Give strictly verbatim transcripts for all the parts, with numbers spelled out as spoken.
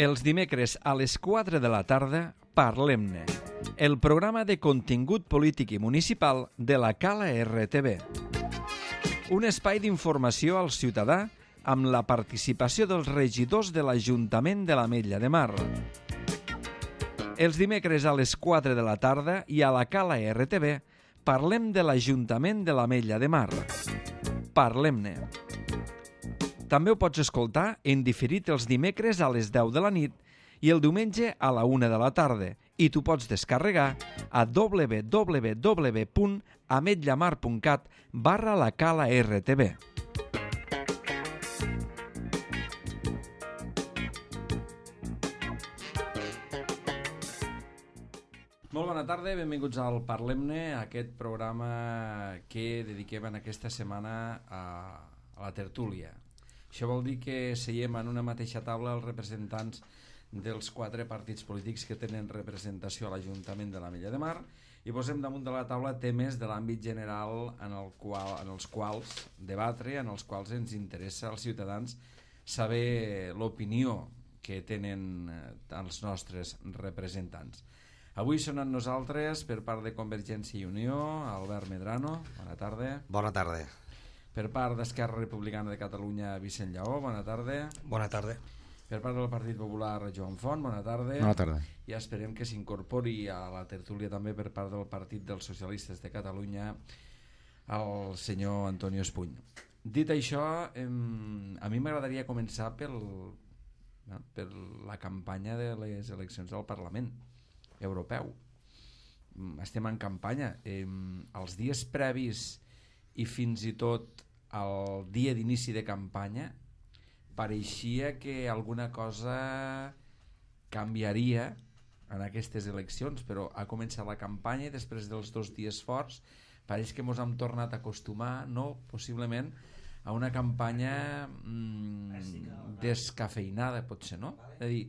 Els dimecres a les quatre de la tarda, Parlem-ne, el programa de contingut polític i municipal de la Cala R T V. Un espai d'informació al ciutadà amb la participació dels regidors de l'Ajuntament de l'Ametlla de Mar. Els dimecres a les quatre de la tarda i a la Cala R T V parlem de l'Ajuntament de l'Ametlla de Mar. Parlem-ne. També ho pots escoltar en diferit els dimecres a les deu de la nit i el diumenge a la una de la tarda i t'ho pots descarregar a w w w punt ametllamar punt cat barra la Cala R T V. Molt bona tarda, benvinguts al Parlem-ne, aquest programa que dediquem en aquesta setmana a, a la tertúlia. Això vol dir que seiem en una mateixa taula els representants dels quatre partits polítics que tenen representació a l'Ajuntament de l'Ametlla de Mar i posem damunt de la taula temes de l'àmbit general en, el qual, en els quals debatre, en els quals ens interessa als ciutadans saber l'opinió que tenen els nostres representants. Avui són amb nosaltres, per part de Convergència i Unió, Albert Medrano, bona tarda. Bona tarda. Per part d'Esquerra Republicana de Catalunya, Vicent Lleó, bona tarda. Bona tarda. Per part del Partit Popular, Joan Font, bona tarda. Bona tarda. I esperem que s'incorpori a la tertúlia també per part del Partit dels Socialistes de Catalunya el senyor Antonio Espuny. Dit això, em, a mi m'agradaria començar pel, per la campanya de les eleccions al Parlament Europeu. Estem en campanya. Els dies previs i fins i tot el dia d'inici de campanya pareixia que alguna cosa canviaria en aquestes eleccions, però ha començat la campanya i després dels dos dies forts pareix que ens hem tornat a acostumar, no, possiblement, a una campanya mmm, descafeinada, potser, no? És a dir,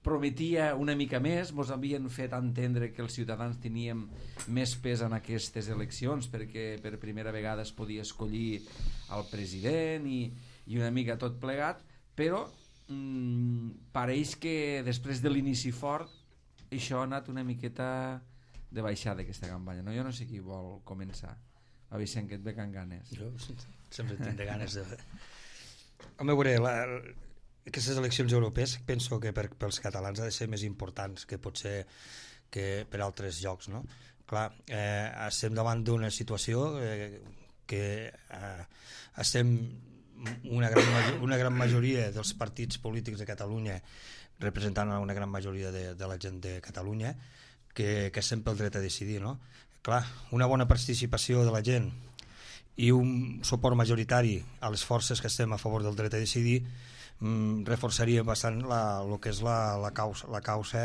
prometia una mica més, ens havien fet entendre que els ciutadans teníem més pes en aquestes eleccions perquè per primera vegada es podia escollir el president i, i una mica tot plegat, però mmm, pareix que després de l'inici fort això ha anat una miqueta de baixada aquesta campanya, no? Jo no sé qui vol començar. A Vicent, que et ve can ganes. Jo sempre tinc de ganes de... Home, veure, la, aquestes eleccions europees penso que per, pels catalans ha de ser més importants que potser que per altres llocs, no? Clar, eh, estem davant d'una situació eh, que eh, estem una gran, una gran majoria dels partits polítics de Catalunya representant una gran majoria de, de la gent de Catalunya que, que estem pel dret a decidir, no? Clar, una bona participació de la gent i un suport majoritari a les forces que estem a favor del dret a decidir mm, reforçaria bastant la, el que és la, la, causa, la causa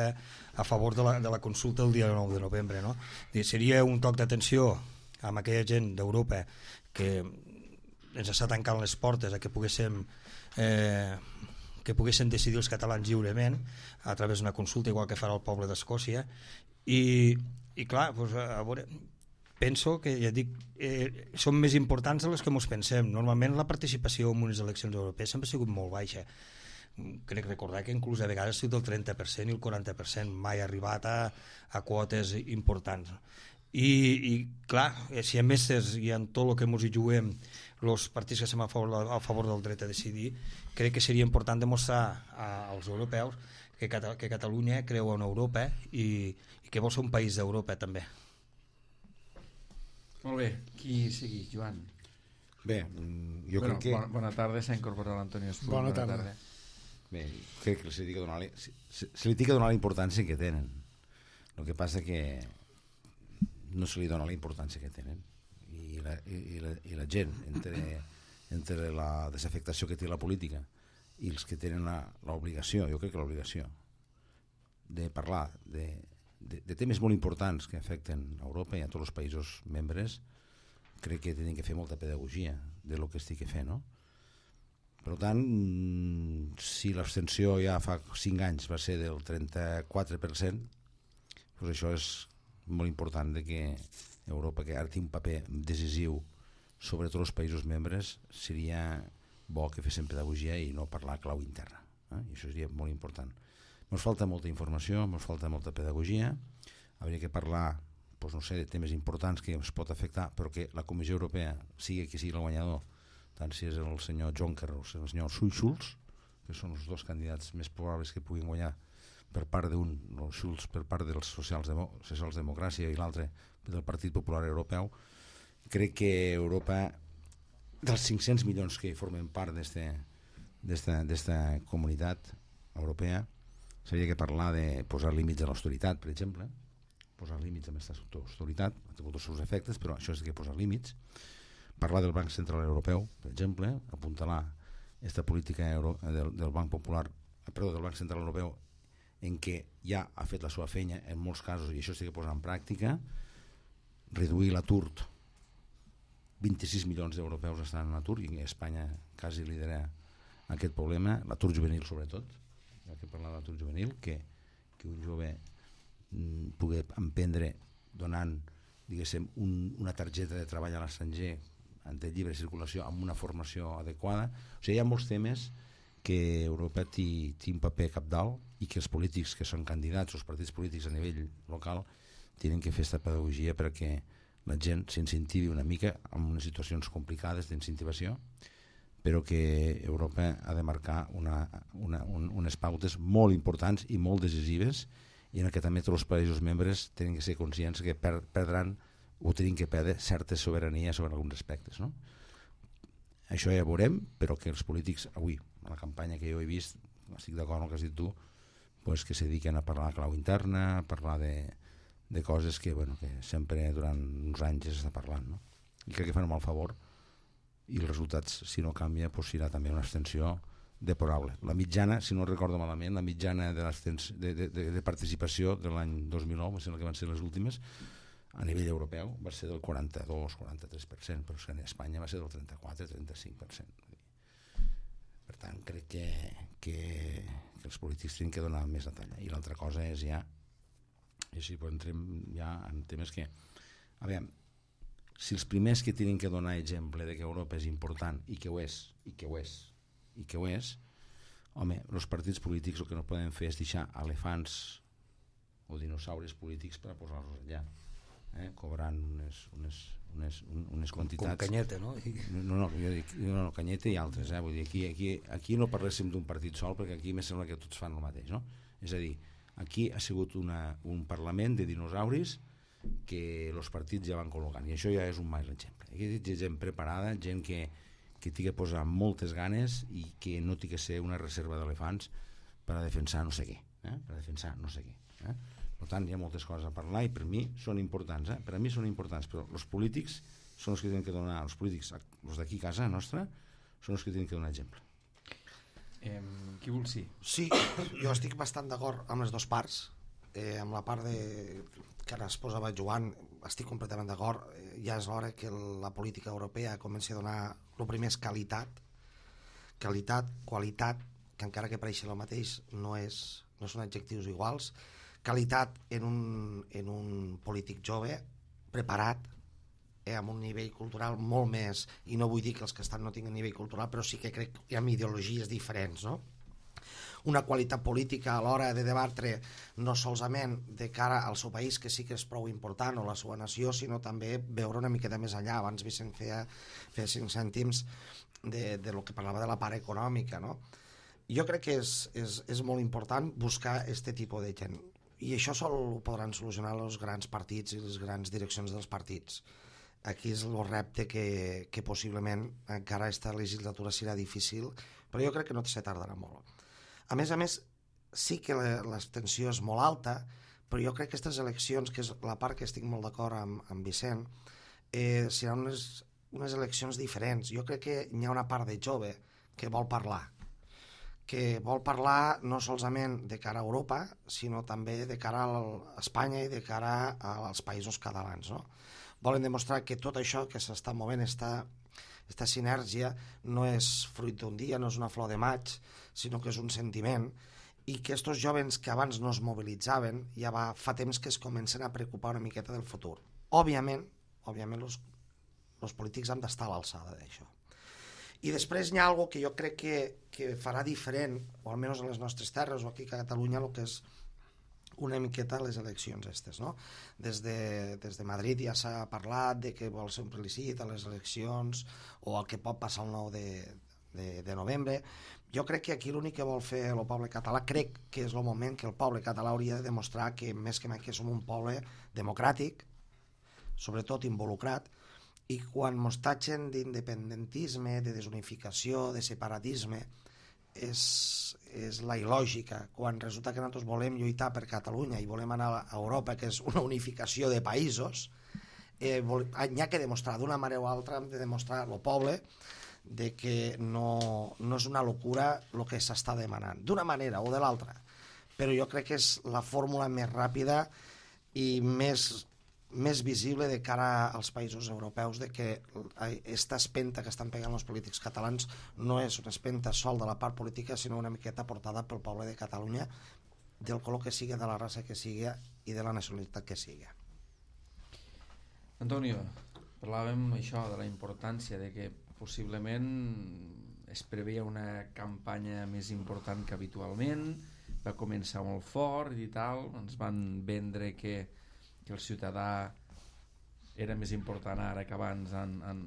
a favor de la, de la consulta el dia nou de novembre, no? Seria un toc d'atenció amb aquella gent d'Europa que ens està tancant les portes a que poguéssim eh, que poguessin decidir els catalans lliurement a través d'una consulta igual que farà el poble d'Escòcia i, i clar, doncs, a veure, penso que ja dic, eh, són més importants de les que ens pensem. Normalment la participació en unes eleccions europees sempre ha sigut molt baixa. Crec recordar que inclús a vegades ha sigut el trenta per cent i el quaranta per cent, mai ha arribat a, a quotes importants. I, i clar, si a més i en tot el que ens hi juguem els partits que estem a favor, a favor del dret a decidir, crec que seria important demostrar als europeus que, Cata, que Catalunya creu en Europa i, i que vol ser un país d'Europa també. Molt bé, qui sigui, Joan? Bé, jo bueno, crec que... Bona, bona tarda, s'ha incorporat l'Antonio Espuny. Bona, bona tarda. tarda. Bé, crec que se li ha de donar, se, se li ha de donar la importància que tenen. El que passa que no se li dona la importància que tenen. I la, i la, i la gent, entre, entre la desafectació que té la política i els que tenen l'obligació, jo crec que l'obligació de parlar de, de, de temes molt importants que afecten a Europa i a tots els països membres, crec que tenen que fer molta pedagogia de lo que estic fent, no? Per tant, si l'abstenció ja fa cinc anys va ser del trenta-quatre per cent, doncs això és molt important de que Europa, que ara té un paper decisiu sobre tots els països membres, seria bo que fessin pedagogia i no parlar clau interna. eh? I això seria molt important. Ens falta molta informació, ens falta molta pedagogia, hauria que parlar, doncs no sé, de temes importants que ens pot afectar, però que la Comissió Europea, sigui qui sigui el guanyador, tant si és el senyor Juncker o el senyor Schulz, que són els dos candidats més probables que puguin guanyar per part d'un, el Schulz per part dels socials-democràcia i l'altre del Partit Popular Europeu, crec que Europa, dels cinc-cents milions que formen part d'esta comunitat europea, s'hauria que parlar de posar límits a l'austeritat, per exemple, posar límits a aquesta austeritat, ha tingut els seus efectes, però això és que posar límits, parlar del Banc Central Europeu, per exemple, apuntalar aquesta política euro, del, del Banc Popular, perdó, del Banc Central Europeu, en què ja ha fet la seva feina en molts casos, i això s'ha de posar en pràctica, reduir l'atur. vint-i-sis milions d'europeus estan en atur, i Espanya quasi lidera aquest problema, l'atur juvenil sobretot, ja que parlar d'atur juvenil, que, que un jove mm, pugui emprendre donant, diguéssim, un, una targeta de treball a l'estranger de lliure circulació amb una formació adequada. O sigui, hi ha molts temes que Europa té un paper capdalt i que els polítics que són candidats, els partits polítics a nivell local, tenen que fer aquesta pedagogia perquè la gent s'incentivi una mica en unes situacions complicades d'incentivació, però que Europa ha de marcar una, una, un, unes pautes molt importants i molt decisives, i en què també tots els països membres tenen que ser conscients que per, perdran o tenen que perdre certa sobirania sobre alguns aspectes, no? Això ja veurem, però que els polítics avui, a la campanya que jo he vist, estic d'acord amb el que has dit tu, pues que se dediquen a parlar de clau interna, a parlar de, de coses que, bueno, que sempre durant uns anys s'està parlant, no? I crec que fan un mal favor, i els resultats, si no canvia, pues serà també una abstenció deplorable. La mitjana, si no recordo malament, la mitjana de, de, de, de participació de l'any dos mil nou, que van ser les últimes, a nivell europeu va ser del quaranta-dos a quaranta-tres per cent, però a Espanya va ser del trenta-quatre a trenta-cinc per cent. Per tant, crec que, que, que els polítics tenen que donar més la talla. I l'altra cosa és ja, i així entrem ja en temes que, a veure, si els primers que tenen que donar exemple de que Europa és important, i que ho és, i que ho és, i que ho és, home, els partits polítics el que no poden fer és deixar elefants o dinosaures polítics per posar-los allà, eh? cobrant unes, unes, unes, unes quantitats... Com Canyete, no? No, no, jo dic, no, no, Canyete i altres, eh? Vull dir, aquí, aquí, aquí no parléssim d'un partit sol, perquè aquí me sembla que tots fan el mateix, no? És a dir, aquí ha sigut una, un parlament de dinosauris que els partits ja van col·locant, i això ja és un mal exemple. Aquí hi ha gent preparada, gent que, que tingui que posar moltes ganes i que no tingui que ser una reserva d'elefants per a defensar no sé què, eh? per a defensar no sé què. Eh? Per tant, hi ha moltes coses a parlar i per mi són importants, eh? per a mi són importants, però els polítics són els que tenen que donar, els polítics, els d'aquí a casa nostra, són els que tenen que donar exemple. Eh, qui vol sí? Sí, jo estic bastant d'acord amb les dues parts, eh, amb la part de que ara es posava Joan, estic completament d'acord, eh, ja és l'hora que la política europea comenci a donar, el primer és qualitat, qualitat, qualitat, que encara que pareixi el mateix no, és, no són adjectius iguals, qualitat en un, en un polític jove, preparat, eh, amb un nivell cultural molt més, i no vull dir que els que estan no tinguin nivell cultural, però sí que crec que hi ha ideologies diferents, no? Una qualitat política a l'hora de debatre no solament de cara al seu país, que sí que és prou important, o la seva nació, sinó també veure una miqueta més enllà. Abans Vicent feia, feia cinc cèntims de, de lo que parlava de la part econòmica, no? Jo crec que és, és, és molt important buscar aquest tipus de gent, i això sol ho podran solucionar els grans partits i les grans direccions dels partits. Aquí és el repte que, que possiblement encara aquesta legislatura serà difícil, però jo crec que no se tardarà molt. A més a més, sí que l'abstenció és molt alta, però jo crec que aquestes eleccions, que és la part que estic molt d'acord amb, amb Vicent, eh, seran unes, unes eleccions diferents. Jo crec que hi ha una part de jove que vol parlar, que vol parlar no solament de cara a Europa, sinó també de cara a Espanya i de cara als països catalans, no? Volen demostrar que tot això que s'està movent, esta, esta sinergia, no és fruit d'un dia, no és una flor de maig, sinó que és un sentiment, i que estos jovens que abans no es mobilitzaven ja va, fa temps que es comencen a preocupar una miqueta del futur. Òbviament, òbviament els, els polítics han d'estar a l'alçada d'això. I després hi ha alguna que jo crec que, que farà diferent, o almenys a les nostres terres o aquí a Catalunya, el que és una miqueta les eleccions aquestes, no? Des de, des de Madrid ja s'ha parlat de que vol ser un plebiscit a les eleccions o el que pot passar el nou de, de, de novembre. Jo crec que aquí l'únic que vol fer el poble català, crec que és el moment que el poble català hauria de demostrar que més que mai que som un poble democràtic, sobretot involucrat, i quan mos tatxen d'independentisme, de desunificació, de separatisme, és, és la il·lògica. Quan resulta que nosaltres volem lluitar per Catalunya i volem anar a Europa, que és una unificació de països, eh, vol, hi ha que demostrar d'una manera o altra, hem de demostrar al poble de que no, no és una locura el que s'està demanant, d'una manera o de l'altra. Però jo crec que és la fórmula més ràpida i més més visible de cara als països europeus de que aquesta espenta que estan pegant els polítics catalans no és una espenta sol de la part política, sinó una miqueta portada pel poble de Catalunya, del color que sigui, de la raça que sigui i de la nacionalitat que sigui. Antonio, parlàvem això de la importància de que possiblement es preveia una campanya més important que habitualment, va començar molt fort i tal, ens van vendre que que el ciutadà era més important ara que abans en, en,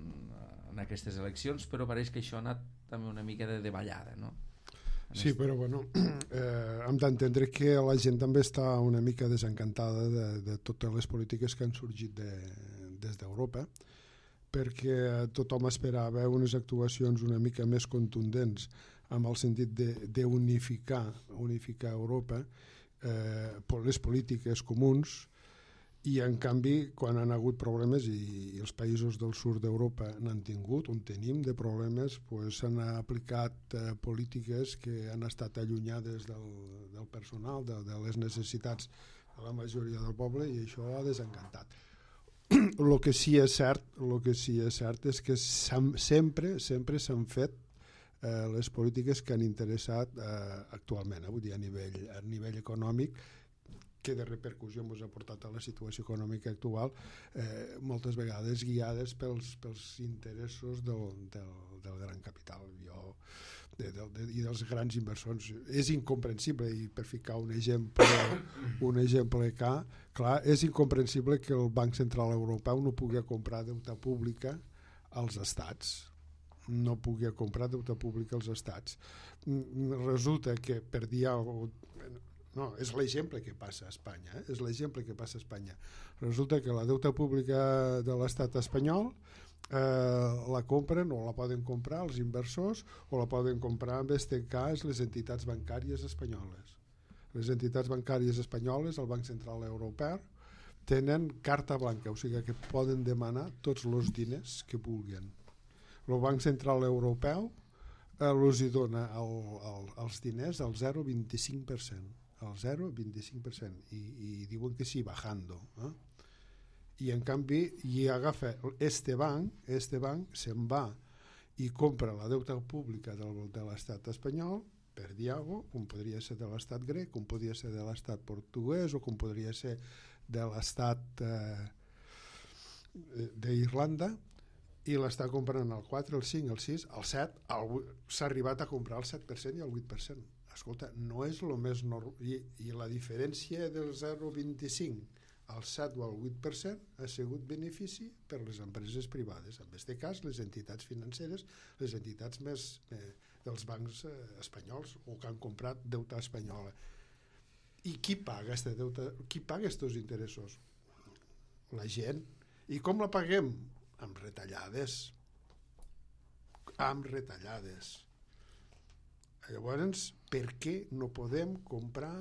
en aquestes eleccions, però pareix que això ha anat també una mica de davallada, no? Sí, però bueno, eh, hem d'entendre que la gent també està una mica desencantada de, de totes les polítiques que han sorgit de, des d'Europa, perquè tothom esperava unes actuacions una mica més contundents amb el sentit d'unificar unificar Europa, eh, les polítiques comuns, i en canvi quan han hagut problemes i, i els països del sud d'Europa n'han tingut, on tenim de problemes, pues, s'han aplicat eh, polítiques que han estat allunyades del, del personal, de, de les necessitats de la majoria del poble, i això ha desencantat. El que sí és cert, el que sí és cert és que sempre sempre s'han fet eh, les polítiques que han interessat eh, actualment, eh, vull dir, a nivell, a nivell econòmic, que de repercussió ens ha portat a la situació econòmica actual, eh, moltes vegades guiades pels, pels interessos del, del, del gran capital jo, de, de, de, i dels grans inversors. És incomprensible, i per ficar un exemple, un exemple que, clar, és incomprensible que el Banc Central Europeu no pugui comprar deute pública als estats. No pugui comprar deute públic als estats. Resulta que per dir alguna cosa, no, és l'exemple que passa a Espanya, eh? és l'exemple que passa a Espanya. Resulta que la deuta pública de l'estat espanyol eh, la compren o la poden comprar els inversors o la poden comprar, en aquest cas, les entitats bancàries espanyoles. Les entitats bancàries espanyoles, el Banc Central Europeu, tenen carta blanca, o sigui que poden demanar tots els diners que vulguin. El Banc Central Europeu eh, els hi dona el, el, els diners al zero coma vint-i-cinc per cent. Al zero coma vint-i-cinc per cent, i, i diuen que sí, bajando, eh? I en canvi hi agafa este banc, este banc se'n va i compra la deuta pública del, de l'estat espanyol, per dir alguna cosa, com podria ser de l'estat grec, com podria ser de l'estat portuguès o com podria ser de l'estat eh, d'Irlanda, i l'està comprant el quatre, el cinc, el sis, el set, s'ha arribat a comprar el set per cent i el vuit per cent. Escolta, no és el més normal, i, i la diferència del zero coma vint-i-cinc al set o al vuit per cent ha sigut benefici per les empreses privades, en aquest cas les entitats financeres, les entitats més eh, dels bancs eh, espanyols o que han comprat deuta espanyola. I qui paga este deute? Qui paga aquests interessos? La gent. I com la paguem? Amb retallades. Amb retallades. Llavors, per què no podem comprar,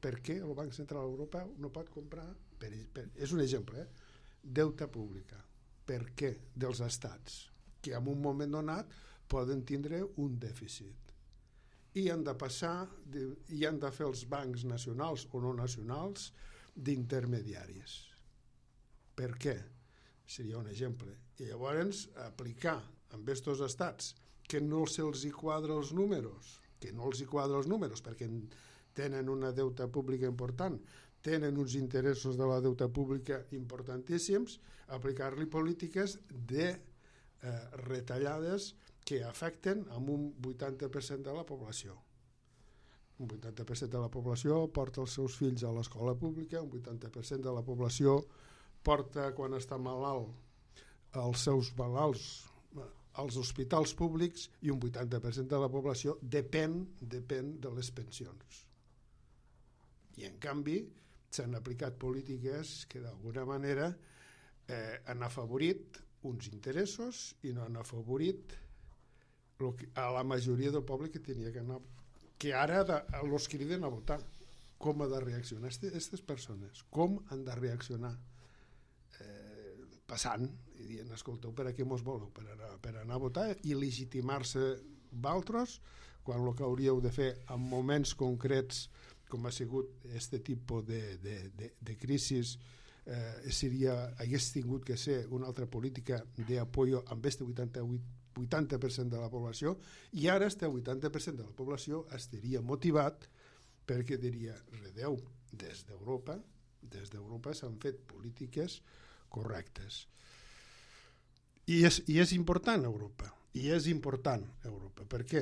per què el Banc Central Europeu no pot comprar, per, per, és un exemple, eh? Deuta pública. Per què? Dels estats, que en un moment donat poden tindre un dèficit. I han de passar, i han de fer els bancs nacionals o no nacionals d'intermediaris. Per què? Seria un exemple. I llavors aplicar amb aquests estats que no se'ls hi quadra els números, que no els hi quadra els números perquè tenen una deuta pública important, tenen uns interessos de la deuta pública importantíssims, aplicar-li polítiques de eh, retallades que afecten amb un vuitanta per cent de la població. Un vuitanta per cent de la població porta els seus fills a l'escola pública, un vuitanta per cent de la població porta, quan està malalt, els seus malalts als hospitals públics, i un vuitanta per cent de la població depèn, depèn de les pensions. I en canvi s'han aplicat polítiques que d'alguna manera eh, han afavorit uns interessos i no han afavorit lo que, a la majoria del poble que tenia que anar, que ara de, els criden a votar. Com ha de reaccionar aquestes persones? Com han de reaccionar? Eh, passant i dient, escolteu, per a què mos voleu? Per anar, per anar a votar i legitimar-se valtros, quan el que hauríeu de fer en moments concrets com ha sigut este tipus de, de, de, de crisis, eh, seria, hagués tingut que ser una altra política d'apoyo amb este vuitanta per cent de la població, i ara este vuitanta per cent de la població estaria motivat perquè diria, redeu, des d'Europa, des d'Europa s'han fet polítiques correctes. I és, i és important Europa, i és important Europa. Per què?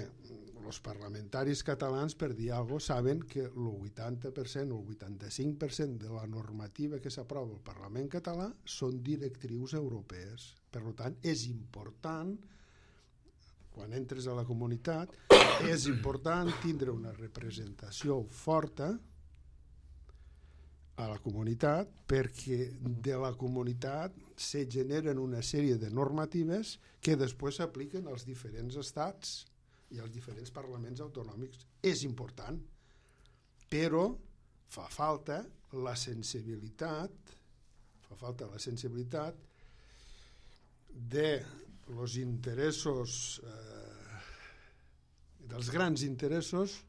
Els parlamentaris catalans, per dir alguna cosa, saben que el vuitanta per cent o el vuitanta-cinc per cent de la normativa que s'aprova al Parlament català són directrius europees. Per tant, és important, quan entres a la comunitat, és important tindre una representació forta a la comunitat, perquè de la comunitat se generen una sèrie de normatives que després s'apliquen als diferents estats i als diferents parlaments autonòmics. És important, però fa falta la sensibilitat, fa falta la sensibilitat de los interessos, eh, dels grans interessos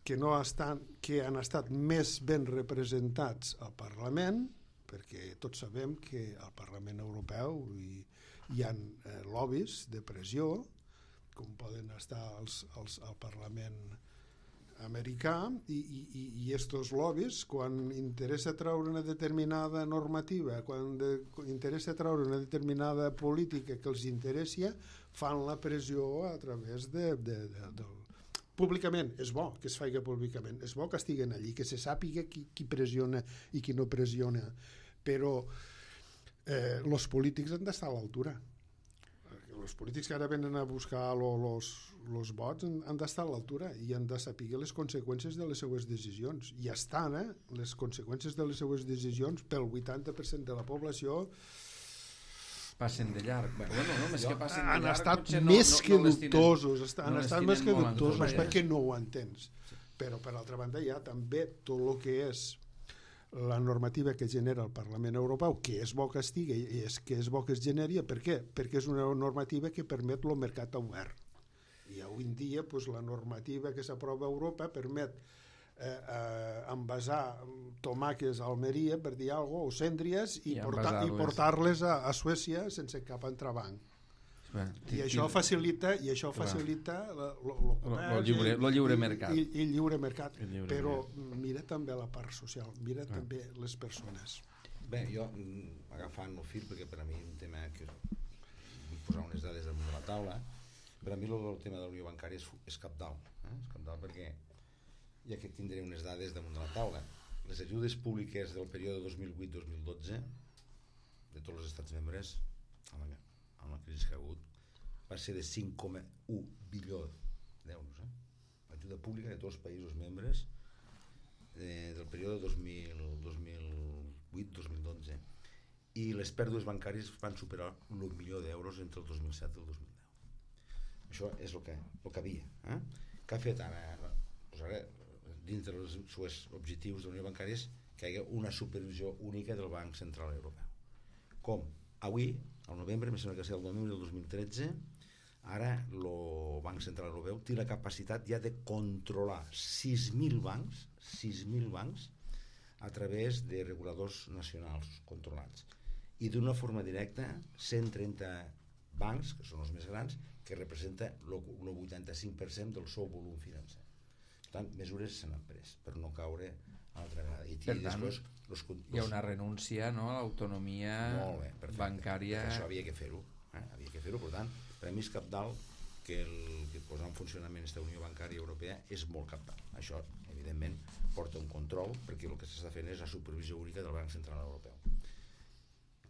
que, no estan, que han estat més ben representats al Parlament, perquè tots sabem que al Parlament Europeu hi, hi ha eh, lobbies de pressió, com poden estar els, els, al Parlament americà, i, i, i estos lobbies, quan interessa treure una determinada normativa, quan de, interessa treure una determinada política que els interessi, fan la pressió a través de, de, de, del públicament. És bo que es faci públicament, és bo que estiguen allí, que se sàpiga qui, qui pressiona i qui no pressiona, però eh, els polítics han d'estar a l'altura. Els polítics que ara venen a buscar els vots han d'estar a l'altura i han de saber les conseqüències de les seues decisions. I estan, eh? Les conseqüències de les seues decisions pel vuitanta per cent de la població passen de llarg. Bueno, no, més que passen de han llarg, estat no, més no, que no dubtosos, tenen, han no estat més que dubtosos perquè no no ho entens. Però per altra banda hi ha també tot el que és la normativa que genera el Parlament Europeu, que és bo que estigui i és que és bo que es generi. Per què? Perquè és una normativa que permet el mercat obert. I avui en dia pues, la normativa que s'aprova a Europa permet eh, eh, envasar tomàquets a Almeria, per dir alguna cosa, o cendries, i, I portar, i portar-les a, a Suècia sense cap entrebanc. Bueno, I això facilita i això facilita el lliure, lliure mercat i, i, i lliure mercat el lliure però mercat. Mira també la part social, mira ah. també les persones. Bé, jo agafant el fil, perquè per a mi un tema que vull posar unes dades damunt de la taula, per a mi el tema de la unió bancària és, és cabdal, eh? És cabdal perquè ja que tindré unes dades damunt de la taula, les ajudes públiques del període dos mil vuit dos mil dotze de tots els estats membres amb la, amb la crisi que ha hagut va ser de cinc coma u bilió d'euros, eh? Ajuda pública de tots els països membres eh, del període dos mil vuit dos mil dotze, i les pèrdues bancàries van superar el milió d'euros entre el dos mil set i el dos mil deu. Això és el que, el que havia, eh? Que ha fet ara, doncs ara dintre dels seus objectius de la unió bancària és que hi hagi una supervisió única del Banc Central Europeu. Com avui, al novembre, em sembla que és el novembre del dos mil tretze, ara el Banc Central Europeu té la capacitat ja de controlar sis mil bancs, sis mil bancs a través de reguladors nacionals controlats, i d'una forma directa cent trenta bancs, que són els més grans, que representa el vuitanta-cinc per cent del seu volum financer. Per tant, mesures s'han pres per no caure a l'altra vegada. I per tant, després, los, los, hi ha una renúncia, no?, a l'autonomia bancària. Això havia que fer-ho, eh? havia que fer-ho, per tant, Per a mi és cabdal que, el, que posar en funcionament aquesta Unió Bancària Europea és molt cabdal. Això, evidentment, porta un control, perquè el que s'està fent és la supervisió única del Banc Central Europeu.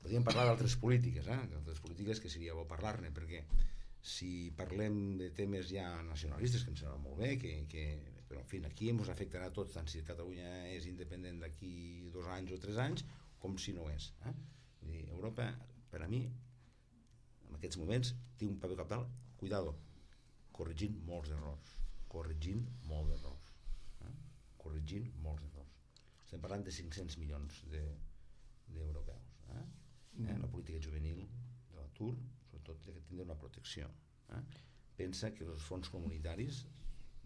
Podríem parlar d'altres polítiques, eh? d'altres polítiques que seria bo parlar-ne, perquè si parlem de temes ja nacionalistes, que em sembla molt bé, que, que, però en fi, aquí ens afectarà a tots, tant si Catalunya és independent d'aquí dos anys o tres anys, com si no és. Eh? Vull dir, Europa, per a mi, en aquests moments, té un paper cabdal, cuidado, corregint molts errors, corregint molts errors, eh? corregint molts errors. Estem parlant de cinc-cents milions d'europeus. De, eh? Mm. eh? La política juvenil de l'atur, sobretot, ha de tindre una protecció. Eh? Pensa que els fons comunitaris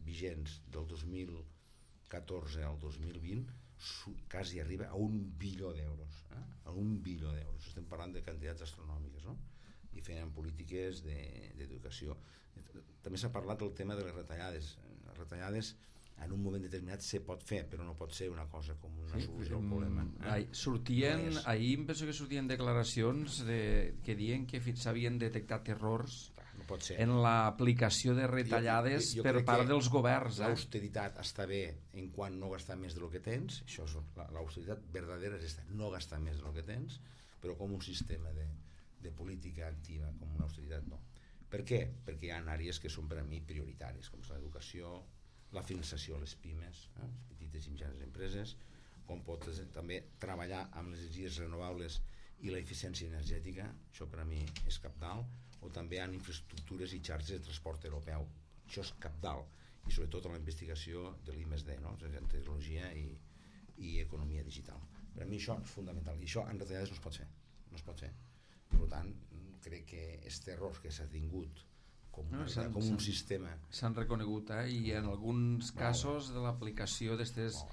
vigents del dos mil catorze al dos mil vint quasi arriba a un bilió d'euros, eh? a un bilió d'euros. Estem parlant de quantitats astronòmiques, no? I feien polítiques d'educació. També s'ha parlat del tema de les retallades. Les retallades en un moment determinat se pot fer, però no pot ser una cosa com una solució al problema. Eh? Ahir, sortien, no ahir em penso que sortien declaracions de, que diuen que s'havien detectat errors no pot ser. En l'aplicació de retallades jo, jo, jo per part dels governs. Eh? L'austeritat està bé en quan no gastar més del que tens, això és l'austeritat verdadera, és esta, no gastar més del que tens, però com un sistema de, de política activa, com una austeritat no. Per què? Perquè hi ha àrees que són per a mi prioritàries, com és l'educació, la finançació a les pimes, eh? les petites i mitjanes empreses, com pots també treballar amb les energies renovables i la eficiència energètica, això per a mi és cabdal, o també en infraestructures i xarxes de transport europeu, això és cabdal, i sobretot en la investigació de l'I més D, no? En tecnologia i, i economia digital. Per a mi això és fundamental, i això en retallades no es pot fer, no es pot fer. Per tant, crec que aquest error que s'ha tingut com, no, una, com un sistema s'han reconegut, eh? I en alguns casos de l'aplicació d'aquestes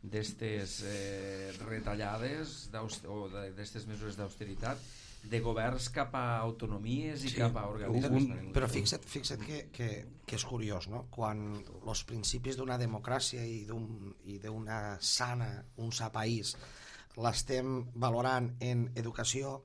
d'aquestes eh, retallades o d'aquestes mesures d'austeritat de governs cap a autonomies i sí, cap a organismes. Un, però fixa't, fixa't que, que, que és curiós, no? Quan els principis d'una democràcia i d'una un, sana, un sa país l'estem valorant en educació,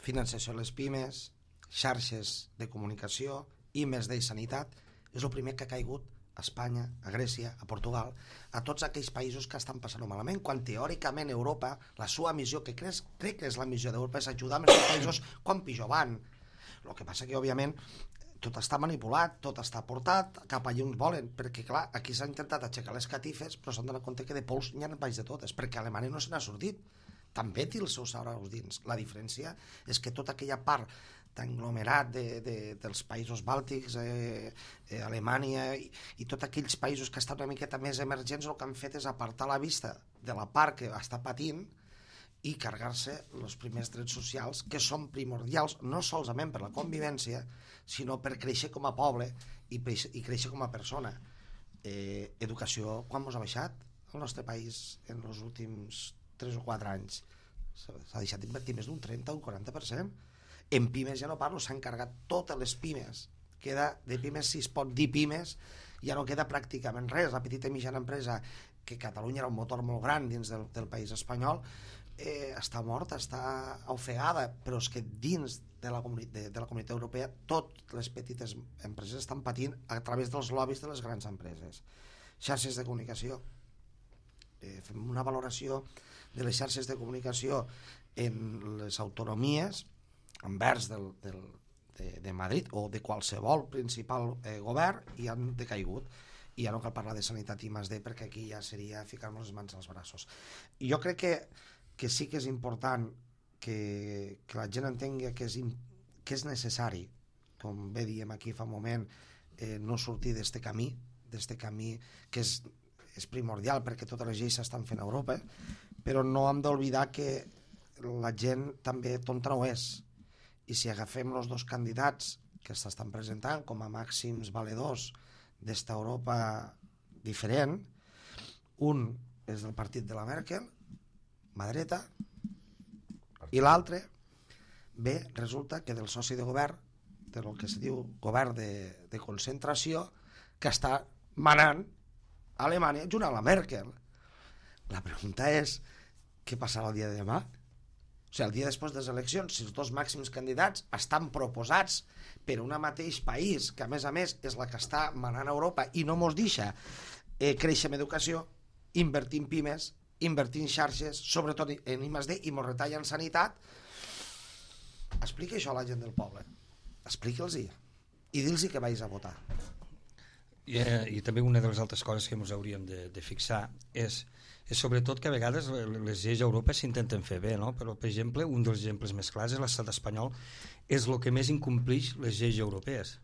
finançació a les pimes, xarxes de comunicació, I més D i sanitat, és el primer que ha caigut a Espanya, a Grècia, a Portugal, a tots aquells països que estan passant malament, quan teòricament Europa, la seva missió, que crec, crec que és la missió d'Europa, és ajudar a aquests països quan pitjor van. El que passa que, òbviament, tot està manipulat, tot està portat cap allà on volen, perquè, clar, aquí s'ha intentat aixecar les catifes, però s'han donat compte que de pols n'hi ha baix de totes, perquè Alemanya no se n'ha sortit. També té els seus araus dins. La diferència és que tota aquella part d'englomerat de, de, dels països bàltics, eh, eh, Alemanya i, i tots aquells països que estan una miqueta més emergents, el que han fet és apartar la vista de la part que està patint i carregar-se els primers drets socials que són primordials no solament per la convivència sinó per créixer com a poble i, i créixer com a persona. Eh, educació, quan ens ha baixat el nostre país en els últims tres o quatre anys? S'ha deixat d'invertir més d'un trenta o un quaranta per cent. En pimes ja no parlo, s'han carregat totes les pimes. Queda de pimes, si es pot dir pimes, ja no queda pràcticament res. La petita i mitjana empresa, que Catalunya era un motor molt gran dins del, del país espanyol, eh, està morta, està ofegada, però és que dins de la, de, de la comunitat europea totes les petites empreses estan patint a través dels lobbies de les grans empreses. Xarxes de comunicació. Eh, fem una valoració de les xarxes de comunicació en les autonomies envers del, del, de, de Madrid o de qualsevol principal eh, govern i han decaigut. I ja no cal parlar de sanitat I més D perquè aquí ja seria ficar-nos les mans als braços. I jo crec que, que sí que és important que, que la gent entengui que és, que és necessari, com bé diem aquí fa un moment, eh, no sortir d'este camí, d'este camí que és, és primordial perquè totes les lleis s'estan fent a Europa, però no hem d'oblidar que la gent també tonta no és. I si agafem els dos candidats que s'estan presentant com a màxims valedors d'esta Europa diferent, un és del partit de la Merkel, mà dreta, i l'altre, bé, resulta que del soci de govern, del que se diu govern de, de concentració, que està manant a Alemanya junt a la Merkel. La pregunta és, què passarà el dia de demà? O sigui, el dia després de les eleccions, si els dos màxims candidats estan proposats per un mateix país, que a més a més és la que està manant a Europa i no mos deixa eh, créixer en educació, invertir en pimes, invertir en xarxes, sobretot en I més D, i mos retalla en sanitat, explica això a la gent del poble. Expliqui'ls-hi. I dir-los que vagis a votar. I, eh, I també una de les altres coses que ens hauríem de, de fixar és, és sobretot que a vegades les lleis a Europa s'intenten fer bé, no? Però, per exemple, un dels exemples més clars és l'estat espanyol, és el que més incomplix les lleis europees.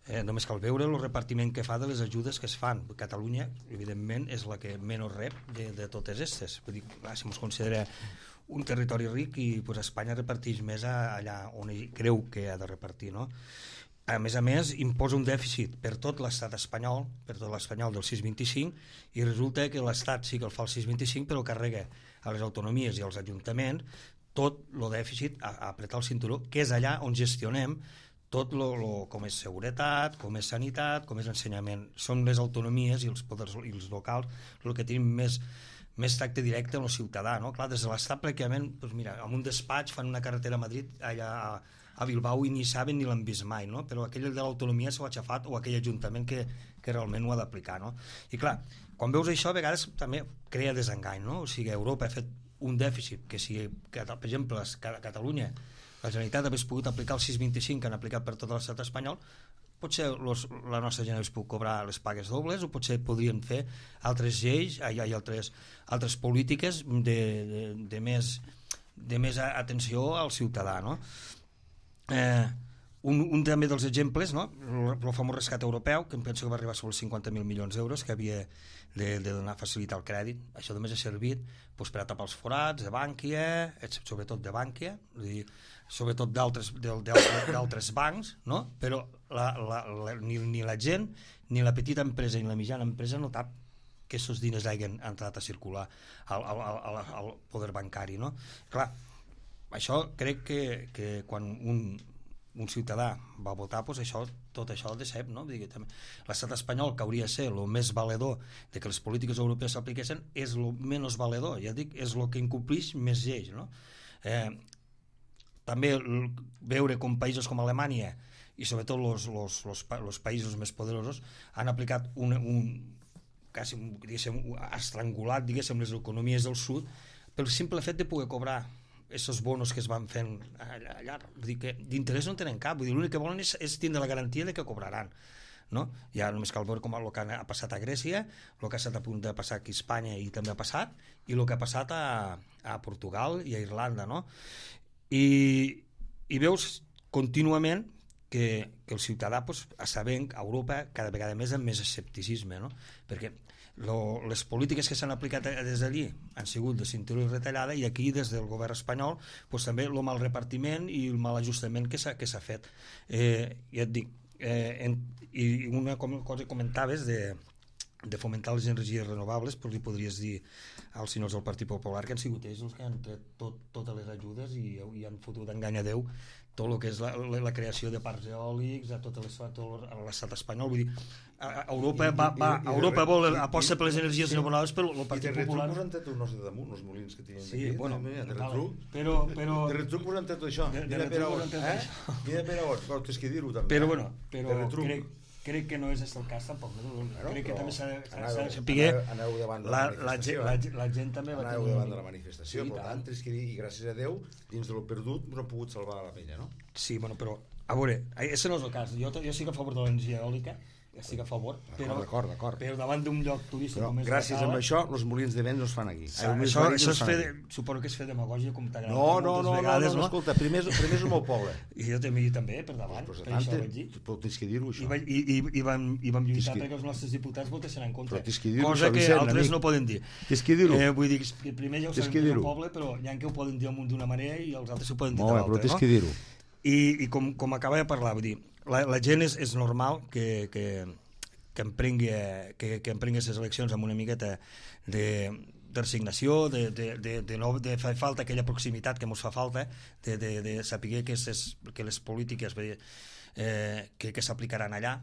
Eh, només cal veure el repartiment que fa de les ajudes que es fan. Catalunya, evidentment, és la que menys rep de, de totes aquestes. Vull dir, clar, si ens considera un territori ric, i pues, Espanya reparteix més allà on creu que ha de repartir, no? A més a més, imposa un dèficit per tot l'estat espanyol, per tot l'espanyol del sis coma vint-i-cinc, i resulta que l'estat sí que el fa el sis coma vint-i-cinc, però carrega a les autonomies i als ajuntaments tot el dèficit a, a apretar el cinturó, que és allà on gestionem tot lo, lo, com és seguretat, com és sanitat, com és ensenyament. Són les autonomies i els poders i els locals el que tenim més, més tracte directe amb el ciutadà, no? Clar, des de l'estat pràcticament, doncs mira, amb un despatx fan una carretera a Madrid, allà a a Bilbao, i ni saben ni l'han vist mai, no? Però aquell de l'autonomia s'ho ha aixafat, o aquell ajuntament que, que realment ho ha d'aplicar, no? I clar, quan veus això a vegades també crea desengany, no? O sigui, Europa ha fet un dèficit que si, que, per exemple, a Catalunya la Generalitat hagués pogut aplicar el sis coma vint-i-cinc que han aplicat per tot l'estat espanyol, potser los, la nostra gent hagués pogut cobrar les pagues dobles, o potser podrien fer altres lleis, hi ha altres, altres polítiques de, de, de, més, de més atenció al ciutadà, no? Eh, un, un també dels exemples, no? el, el famós rescat europeu, que em penso que va arribar sobre els cinquanta mil milions d'euros, que havia de, de donar facilitar el crèdit. Això només ha servit doncs, per a tapar els forats de Bànquia, sobretot de Bànquia, sobretot d'altres bancs, no? Però la, la, la, ni, ni la gent, ni la petita empresa ni la mitjana empresa no tap que aquests diners hagin entrat a circular al, al, al, al poder bancari, no? Clar, això crec que, que quan un, un ciutadà va votar, doncs això, tot això el decep, no? L'estat espanyol, que hauria de ser el més valedor de que les polítiques europees s'apliquessin, és el menys valedor, ja dic, és el que incomplix més lleis, no? Eh, també veure com països com Alemanya i sobretot los, los, los, los països més poderosos han aplicat un, un quasi, diguéssim, estrangulat, diguéssim, les economies del sud pel simple fet de poder cobrar aquests bonos que es van fent allà, allà. Vull dir que d'interès no tenen cap, vull dir, l'únic que volen és, és tindre la garantia de que cobraran, no? Ja només cal veure com el que ha passat a Grècia, el que ha estat a punt de passar aquí a Espanya i també ha passat, i el que ha passat a, a Portugal i a Irlanda, no? I, i veus contínuament que, que el ciutadà, pues, sabent a Europa cada vegada més amb més escepticisme, no? Perquè Lo, les polítiques que s'han aplicat des d'allí han sigut de cinturó i retallada, i aquí des del govern espanyol pues, també el mal repartiment i el mal ajustament que s'ha que s'ha fet. Eh, ja et dic, eh, en, i una cosa que comentaves de, de fomentar les energies renovables, pues, li podries dir als senyors del Partit Popular que han sigut ells els que han tret tot, totes les ajudes i, i han fotut enganyadeu tot el que és la, la, la creació de parcs eòlics a tot l'estat espanyol. Vull dir, a Europa, va, va, a Europa vol, aposta per les energies renovables, però el Partit Popular... De retruc posant tot els de damunt, els molins que tenen sí, aquí. Bueno, de retruc, però, però... de retruc posant tot això. De, de mira per on, eh? Mira per on, però tens que dir-ho també. Però, bueno, però crec, crec que no és el cas tampoc. No? Claro, crec que també s'ha de saber... Aneu davant de la, la manifestació. La, la, la gent també va aneu tenir... davant de la manifestació, per tant, tens que dir, i gràcies a Déu, dins de lo perdut, no han pogut salvar la penya, no? Sí, bueno, però, a veure, això no és el cas. Jo, jo estic a favor de l'energia eòlica, estic a favor, però, d'acord, d'acord. però davant d'un lloc turístic però, com és gràcies a amb això, els molins de vent no es fan aquí. Això, això, això és fer, suposo que és fer demagògia, com t'agrada no, no, no, vegades, no, no, escolta, primer és, primer és el meu poble. I jo també, també per davant, pues, per això vaig dir. Però tens que dir-ho, això. I, i, i, i, vam, i vam lluitar perquè els nostres diputats votessin en contra. Que cosa que Vicent, altres amic. no poden dir. Tens que dir-ho. Eh, vull dir que primer ja ho sabem que és el poble, però hi ha que ho poden dir d'una manera i els altres ho poden dir de l'altra. Però tens que dir-ho. I, i com, com acaba de parlar, vull dir, la, la gent és, és normal que, que, que emprengui que, que emprengui les eleccions amb una miqueta de, de resignació, de, de, de, de, no, de fer falta aquella proximitat que ens fa falta, de, de, de saber que, ses, que les polítiques eh, que, que s'aplicaran allà.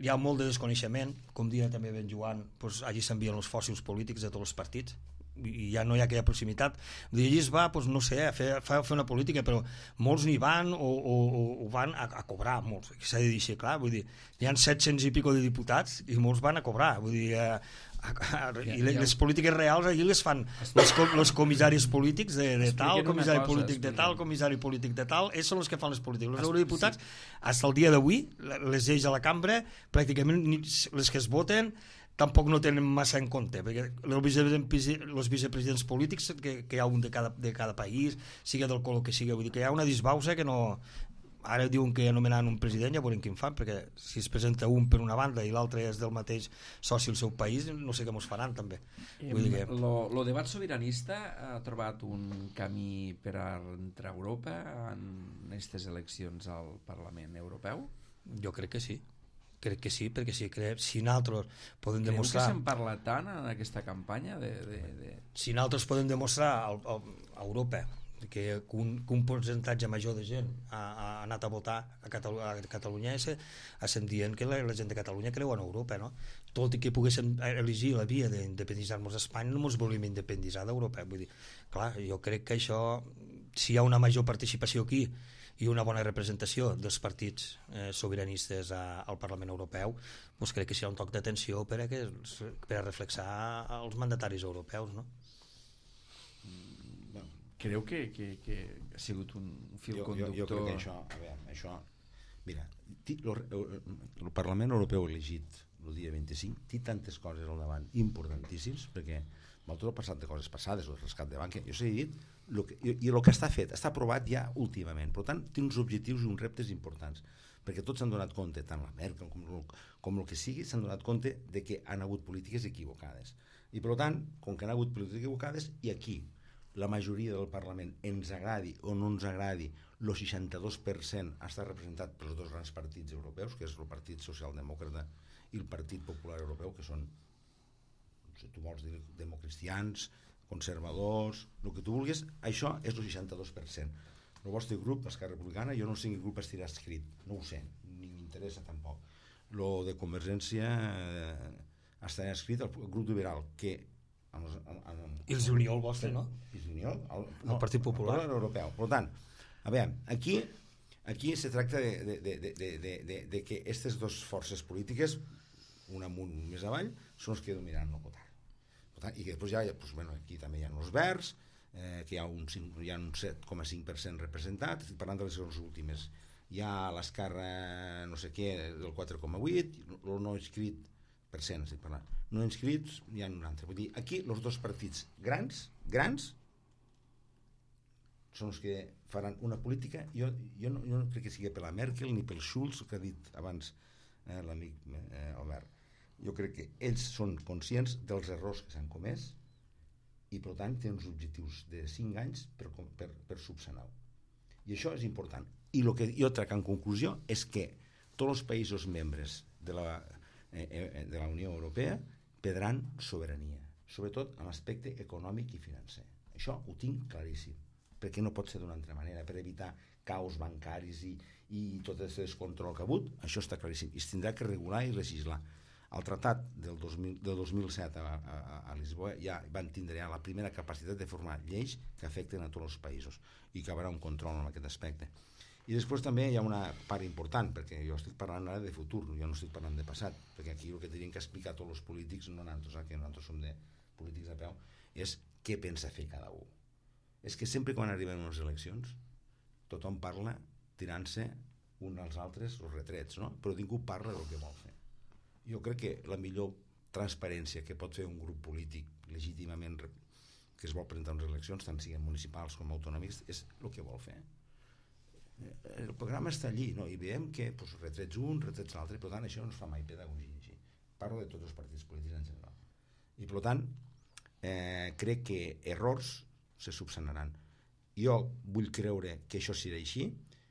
Hi ha molt de desconeixement, com dia també ben Joan, doncs allí s'envien els fòssils polítics de tots els partits, i ja no hi ha aquella proximitat. Vull dir, allí es va, doncs, no sé, a fer, a fer una política, però molts n'hi van o, o, o van a, a cobrar, molts, s'ha de dir així, clar, vull dir, hi ha set-cents i pico de diputats i molts van a cobrar, vull dir, a, a, a, i les, les polítiques reals allí les fan els, els comissaris polítics de, de tal, comissari cosa, polític de tal, comissari polític de tal, ells són els que fan les polítiques. Els eurodiputats, fins al dia d'avui, les lleis a la cambra, pràcticament les que es voten tampoc no tenen massa en compte, perquè els vicepresidents, els vicepresidents polítics que, que hi ha un de cada, de cada país, siga del color que siga, vull dir que hi ha una disbauxa que no... Ara diuen que anomenaran un president, ja veurem quin fan, perquè si es presenta un per una banda i l'altre és del mateix soci al seu país, no sé com es faran també. Vull dir que... lo, lo debat sobiranista ha trobat un camí per a entrar a Europa en aquestes eleccions al Parlament Europeu? Jo crec que sí. Crec que sí, perquè si, crec, si nosaltres podem Creu demostrar... que se'n parla tant en aquesta campanya? De, de, de... Si nosaltres podem demostrar a, a, a Europa que un, que un percentatge major de gent ha, ha anat a votar a, Catalu a Catalunya, estem dient que la, la gent de Catalunya creu en Europa, no? Tot i que poguéssim elegir la via d'independitzar-nos d'Espanya, no ens volíem independitzar d'Europa. Vull dir, clar, jo crec que això, si hi ha una major participació aquí i una bona representació dels partits eh, sobiranistes a, al Parlament Europeu, doncs crec que serà un toc d'atenció per, a que, per a reflexar els mandataris europeus, no? Creu que, que, que ha sigut un fil jo, conductor? Jo, jo crec que això, a veure, això, mira, el Parlament Europeu elegit el dia vint-i-cinc té tantes coses al davant importantíssims, perquè amb tot el passat de coses passades, el rescat de banca, jo s'he dit, lo que, i, i el que està fet, està aprovat ja últimament, per tant té uns objectius i uns reptes importants, perquè tots s'han donat compte, tant la Merkel com, com el que sigui, s'han donat compte de que han hagut polítiques equivocades, i per tant, com que han hagut polítiques equivocades, i aquí la majoria del Parlament, ens agradi o no ens agradi, el seixanta-dos per cent està representat pels dos grans partits europeus, que és el Partit Socialdemòcrata i el Partit Popular Europeu, que són, si tu vols dir, democristians, conservadors, el que tu vulguis, això és el seixanta-dos per cent. El vostre grup, l'Esquerra Republicana, jo no sé quin grup estirà escrit, no ho sé, ni m'interessa tampoc. Lo de Convergència eh, estarà escrit el grup liberal, que amb els, amb, amb, I els Unió, el vostre, no? I els Unió, el, no, el Partit Popular. El Europeu. Per tant, a veure, aquí, aquí se tracta de, de, de, de, de, de, de que aquestes dues forces polítiques, un amunt més avall, són els que dominaran el poder. Per tant, i que després ja, doncs, bueno, aquí també hi ha els verds, eh, que hi ha un, hi ha un set coma cinc per cent representat, estic parlant de les últimes. Hi ha l'Esquerra, no sé què, del quatre coma vuit, el no inscrit per cent, estic parlant. No inscrits, hi ha un altre. Vull dir, aquí els dos partits grans, grans, són els que faran una política. Jo, jo, no, jo no crec que sigui per la Merkel ni pel Schulz, que ha dit abans eh, l'amic eh, Albert. Jo crec que ells són conscients dels errors que s'han comès i, per tant, tenen uns objectius de cinc anys per, per, per subsanar-ho. I això és important. I el que jo trec en conclusió és que tots els països membres de la, eh, de la Unió Europea perdran sobirania, sobretot en l'aspecte econòmic i financer. Això ho tinc claríssim, perquè no pot ser d'una altra manera, per evitar caos bancaris i, i tot aquest descontrol que ha hagut, això està claríssim, i es tindrà que regular i legislar. Al tractat del dos mil, del dos mil set a, a, a Lisboa ja van tindre ja la primera capacitat de formar lleis que afecten a tots els països i que hi haurà un control en aquest aspecte. I després també hi ha una part important, perquè jo estic parlant ara de futur, jo no estic parlant de passat, perquè aquí el que tenien que explicar tots els polítics, no nosaltres, que nosaltres som de polítics a peu, és què pensa fer cada un. És que sempre quan arriben unes eleccions, tothom parla tirant-se un als altres els retrets, no? Però ningú parla del que vol fer. Jo crec que la millor transparència que pot fer un grup polític legítimament que es vol presentar unes eleccions, tant siguin municipals com autonòmics, és el que vol fer. El programa està allí, no? I veiem que pues, retrets un, retrets l'altre, per tant això no es fa mai pedagogia així. Parlo de tots els partits polítics en general. I per tant eh, crec que errors se subsanaran. Jo vull creure que això serà així,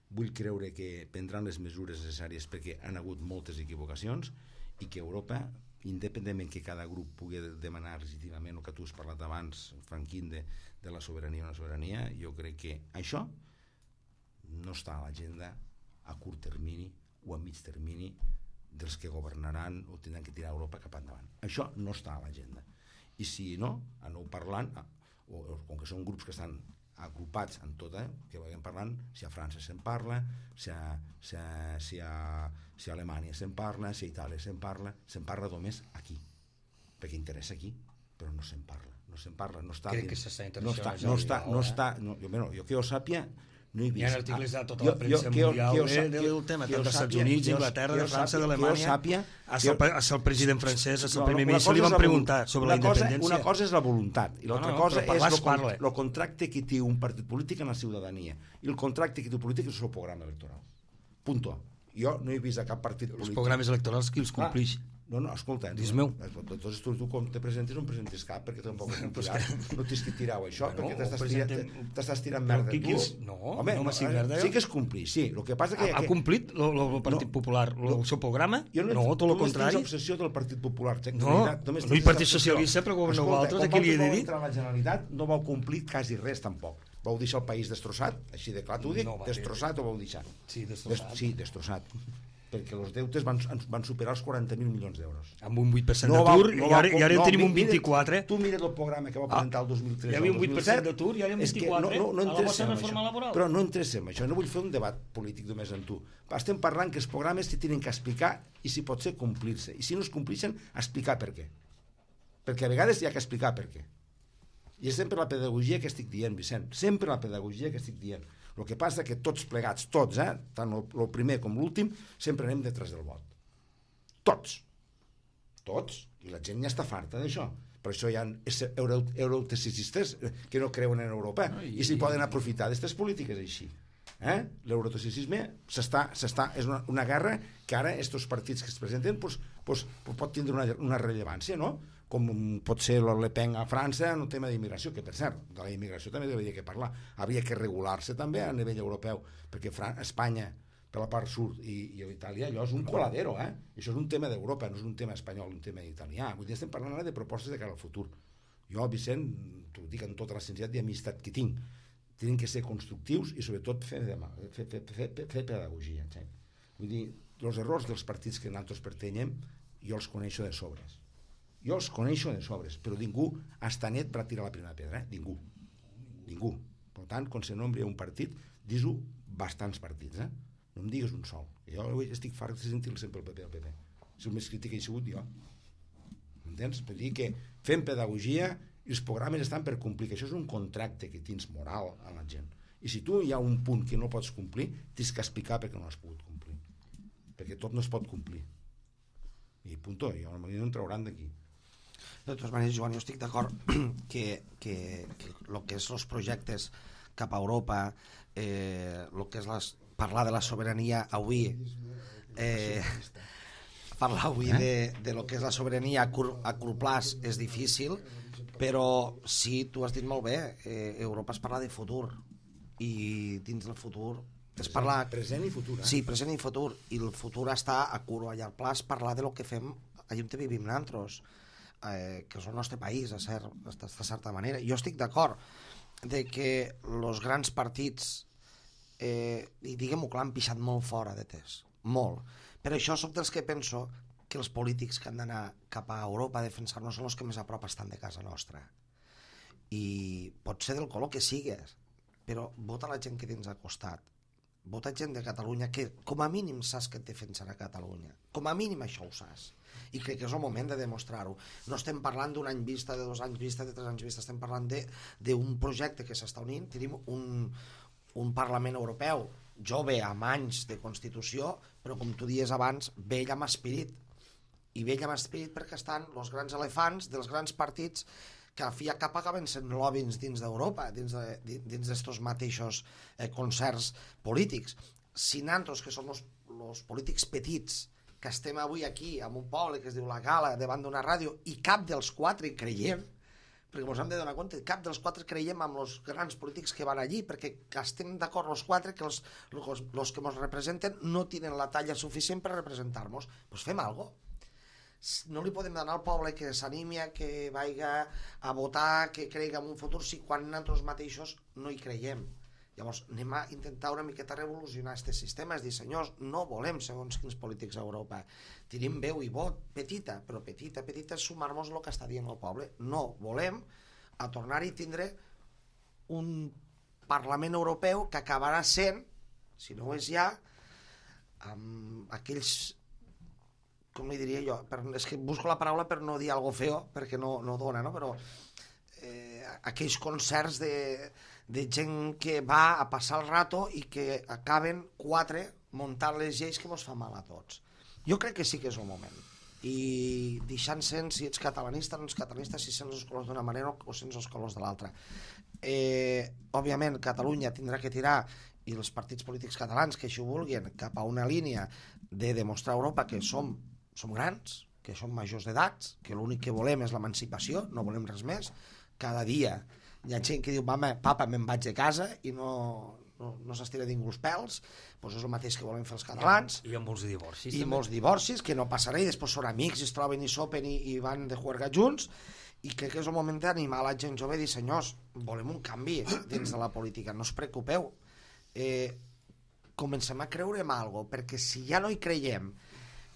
vull creure que prendran les mesures necessàries perquè han hagut moltes equivocacions i que Europa, independentment que cada grup pugui demanar legítimament el que tu has parlat abans, Franquín, de, de la sobirania o no sobirania, jo crec que això no està a l'agenda a curt termini o a mig termini dels que governaran o tindran que tirar Europa cap endavant. Això no està a l'agenda. I si no, aneu parlant, o, o com que són grups que estan agrupats en tot, eh, que vagin parlant, si a França se'n parla, si a, si a, si a, si a Alemanya se'n parla, si a Itàlia se'n parla, se'n parla només aquí, perquè interessa aquí, però no se'n parla, no se'n parla, no està... Crec que s'està no està, internacionalitzant. no està, no eh? està, no, jo, bueno, jo que jo sàpia, no he vist... Hi ha articles de tota jo- la premsa jo- que jo- mundial que jo de- sà- del que- tema, que tant jo dels Estats sàpia- Units, que jo- d'Anglaterra, que de jo França, sàpia- d'Alemanya. que jo sàpia- A que- el, el president francès, el No, primer una ministre, li cosa és van la preguntar voluntat. sobre una la cosa, independència. Una cosa és la voluntat i l'altra No, no, cosa però parlar és es parla. el contracte que té un partit polític amb la ciutadania i el contracte que té un polític és el seu programa electoral. Punto. Jo no he vist a cap partit Els polític... programes electorals qui els Clar, complix? No, no, escolta, Dis no, meu. Doncs tu, tu com te presentes no em presentis cap perquè tampoc has tirat, no tens que tirar això Bueno, perquè t'estàs ho tirant, presentem- t'estàs tirant Però merda qui- qui tu. els- no, Home, no m'estic eh, merda, sí jo. que es complir, sí, el que passa que... Ha, ha que complit el Partit No, Popular no, el seu programa? jo No, tot el tu contrari. tens obsessió del Partit Popular. Jack, No, de veritat, només no hi tens Partit obsessió. Socialista, però governeu Escolta, vosaltres, quan aquí li he de vosaltres vau dir. entrar a la Generalitat no vau complir quasi res tampoc. Vau deixar el país destrossat, així de clar t'ho dic, No va bé. destrossat ho vau deixar. Sí, destrossat. Des, sí, destrossat. Perquè els deutes van, van superar els quaranta mil milions d'euros. Amb un vuit per cent vau- d'atur, no i vau ara, i ara com- en tenim no, un mira- vint-i-quatre. Tu mira't el programa que va presentar el dos mil tres hi havia al un vuit per cent dos mil set, d'atur i ara en és que vint-i-quatre, no, no, no a la entrem vostra en reforma això. laboral. Però no entrem en això, no vull fer un debat polític només amb tu. Estem parlant que els programes s'hi tenen que explicar i si pot ser complir-se. I si no es complixen, explicar per què. Perquè a vegades hi ha que explicar per què. I és sempre la pedagogia que estic dient, Vicent, sempre la pedagogia que estic dient. El que passa que tots plegats, tots, eh, tant el primer com l'últim, sempre anem detrás del vot. Tots. Tots. I la gent ja està farta d'això. Per això hi ha euro, eurotecicistes que no creuen en Europa No, i, i- i s'hi poden aprofitar d'aquestes polítiques així. Eh? L'eurotecicisme s'està, s'està, és una, una guerra que ara estos partits que es presenten pues, pues, pues pot tindre una, una rellevància, no? Com pot ser el Le Pen a França en el tema d'immigració, que per cert, de la immigració també hauria que parlar. Hauria que regular-se també a nivell europeu, perquè Fran Espanya, per la part sud, i, i Itàlia, allò és un coladero, eh? Això és un tema d'Europa, no és un tema espanyol, un tema italià. Vull dir, estem parlant ara de propostes de cara al futur. Jo, Vicent, t'ho dic amb tota la sinceritat i amistat que tinc, tenen que ser constructius i sobretot fer, fer, fer, fer, fer pedagogia. Sí? Vull dir, els errors dels partits que nosaltres pertanyem jo els coneixo de sobres. Jo els coneixo de sobres, però ningú està net per tirar la primera pedra, eh? Ningú. Ningú. Per tant, quan se nombri un partit, dis-ho bastants partits, eh? No em digues un sol. Jo estic fart de sentir-lo sempre el P P, el P P. És el més crític que he sigut jo. M'entens? Vull dir que fem pedagogia i els programes estan per complir, que això és un contracte que tens moral a la gent. I si tu hi ha un punt que no pots complir, tens que explicar perquè no has pogut complir. Perquè tot no es pot complir. I punto, i no em trauran d'aquí. De totes maneres, Joan, jo estic d'acord que, que, que el que és els projectes cap a Europa, eh, el que és les, parlar de la sobirania avui, eh, parlar avui de, de lo que és la sobirania a curt, a curt plaç és difícil, però sí, tu has dit molt bé, eh, Europa es parla de futur, i dins del futur es parla... Present i futur, eh? Sí, present i futur, i el futur està a curt o a llarg plaç, parlar de lo que fem allà on vivim nosaltres, eh, que és el nostre país, a cert, de certa manera. Jo estic d'acord de que els grans partits, eh, i diguem-ho clar, han pixat molt fora de test, molt. Per això soc dels que penso que els polítics que han d'anar cap a Europa a defensar-nos són els que més a prop estan de casa nostra. I pot ser del color que sigues, però vota la gent que tens al costat. Vota gent de Catalunya que com a mínim saps que et defensarà Catalunya. Com a mínim això ho saps. I crec que és el moment de demostrar-ho. No estem parlant d'un any vista, de dos anys vista, de tres anys vista, estem parlant d'un projecte que s'està unint. Tenim un, un Parlament Europeu jove, amb anys de Constitució, però com tu dies abans, vell amb espírit. I vell amb espírit perquè estan els grans elefants dels grans partits que a fi i a cap acaben sent lobbies dins d'Europa, dins d'estos mateixos eh, concerts polítics. Si nosaltres, que som els polítics petits, que estem avui aquí, en un poble que es diu La Gala, davant d'una ràdio, i cap dels quatre hi creiem, perquè ens hem de donar compte, cap dels quatre creiem amb els grans polítics que van allí, perquè estem d'acord els quatre que els, els, els que ens representen no tenen la talla suficient per representar-nos. Doncs fem alguna cosa. No li podem donar al poble que s'animi a que vagi a votar, que cregui en un futur, si quan nosaltres mateixos no hi creiem. Llavors anem a intentar una miqueta revolucionar aquest sistema, és dir, senyors, no volem segons quins polítics a Europa, tenim veu i vot, petita, però petita, petita, sumar-nos el que està dient el poble. No volem a tornar-hi a tindre un Parlament Europeu que acabarà sent, si no ho és ja, amb aquells, com li diria jo, per, és que busco la paraula per no dir algo feo, perquè no, no dona, no? Però eh, aquells concerts de, de gent que va a passar el rato i que acaben quatre muntant les lleis que mos fa mal a tots. Jo crec que sí que és el moment. I deixant sent si ets catalanista o no ets catalanista, si sents els colors d'una manera o sents els colors de l'altra. Eh, òbviament, Catalunya tindrà que tirar, i els partits polítics catalans que així ho vulguin, cap a una línia de demostrar a Europa que som, som grans, que som majors d'edats, que l'únic que volem és l'emancipació, no volem res més. Cada dia hi ha gent que diu, mama, papa, me'n vaig de casa i no, no, no s'estira ningú els pèls, doncs és el mateix que volem fer els catalans. I hi ha molts divorcis. I també. molts divorcis, que no passa res, i després són amics, i es troben i sopen i, i van de juerga junts, i crec que és el moment d'animar la gent jove i dir, senyors, volem un canvi dins de la política, no us preocupeu. Eh, comencem a creure en algo, perquè si ja no hi creiem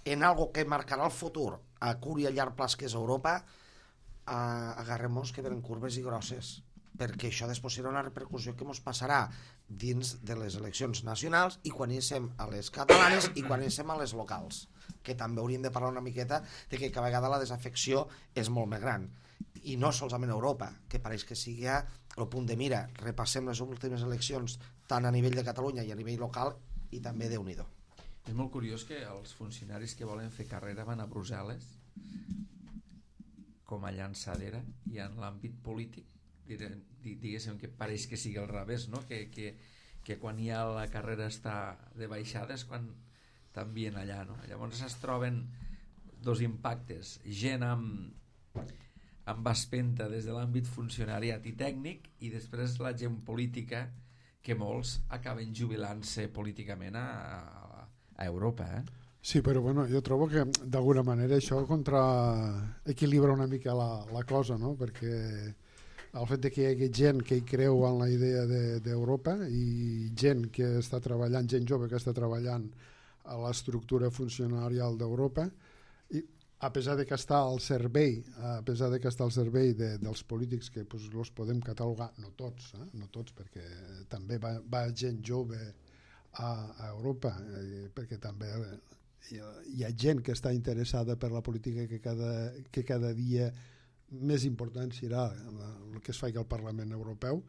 en algo que marcarà el futur a curt i a llarg plaç que és Europa, eh, agarrem-nos que venen curves i grosses, perquè això després serà una repercussió que ens passarà dins de les eleccions nacionals i quan hi sem a les catalanes i quan hi sem a les locals, que també hauríem de parlar una miqueta de que cada vegada la desafecció és molt més gran, i no solament a Europa, que pareix que sigui el punt de mira. Repassem les últimes eleccions tant a nivell de Catalunya i a nivell local, i també Déu-n'hi-do. És molt curiós que els funcionaris que volen fer carrera van a Brussel·les com a llançadera, i en l'àmbit polític diguéssim que pareix que sigui al revés, no? que, que, que quan ja la carrera està de baixada és quan t'envien allà, no? Llavors es troben dos impactes, gent amb amb espenta des de l'àmbit funcionariat i tècnic, i després la gent política, que molts acaben jubilant-se políticament a, a, a Europa, eh? Sí, però bueno, jo trobo que d'alguna manera això contra equilibra una mica la, la cosa, no? Perquè el fet de que hi hagi gent que hi creu en la idea d'Europa de, i gent que està treballant, gent jove que està treballant a l'estructura funcionarial d'Europa, i a pesar de que està al servei, a pesar de que està al servei de, dels polítics, que pues, els podem catalogar, no tots, eh? no tots, perquè també va, va gent jove a, a Europa, eh, perquè també hi ha, hi ha gent que està interessada per la política, que cada, que cada dia més important serà el que es faci al Parlament Europeu,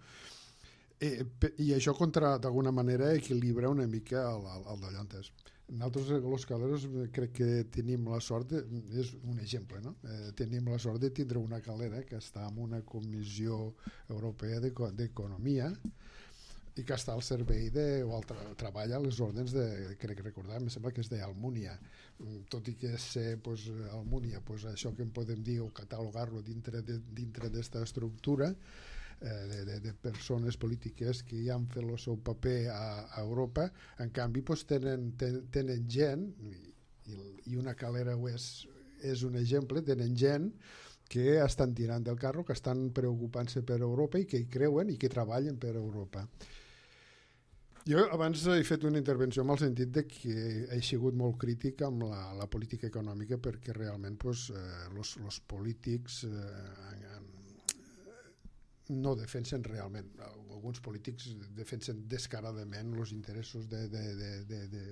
i, i això contra, d'alguna manera, equilibra una mica el, el, el d'allò antes. Nosaltres, els caleros, crec que tenim la sort, de, és un exemple, no? Eh, tenim la sort de tindre una calera que està en una Comissió Europea d'Economia i que està al servei de, o al tra treballa a les ordres de, crec recordar, em sembla que és d'Almúnia. Tot i que sé, pues, Almúnia, pues, això que en podem dir o catalogar-lo dintre d'esta estructura, De, de, de persones polítiques que ja han fet el seu paper a, a Europa, en canvi pues, tenen, ten, tenen gent, i, i una calera és, és un exemple, tenen gent que estan tirant del carro, que estan preocupant-se per Europa i que hi creuen i que treballen per Europa. Jo abans he fet una intervenció en el sentit de que he sigut molt crític amb la, la política econòmica, perquè realment pues, eh, los, los polítics eh, no defensen realment, alguns polítics defensen descaradament els interessos de, de, de, de, de,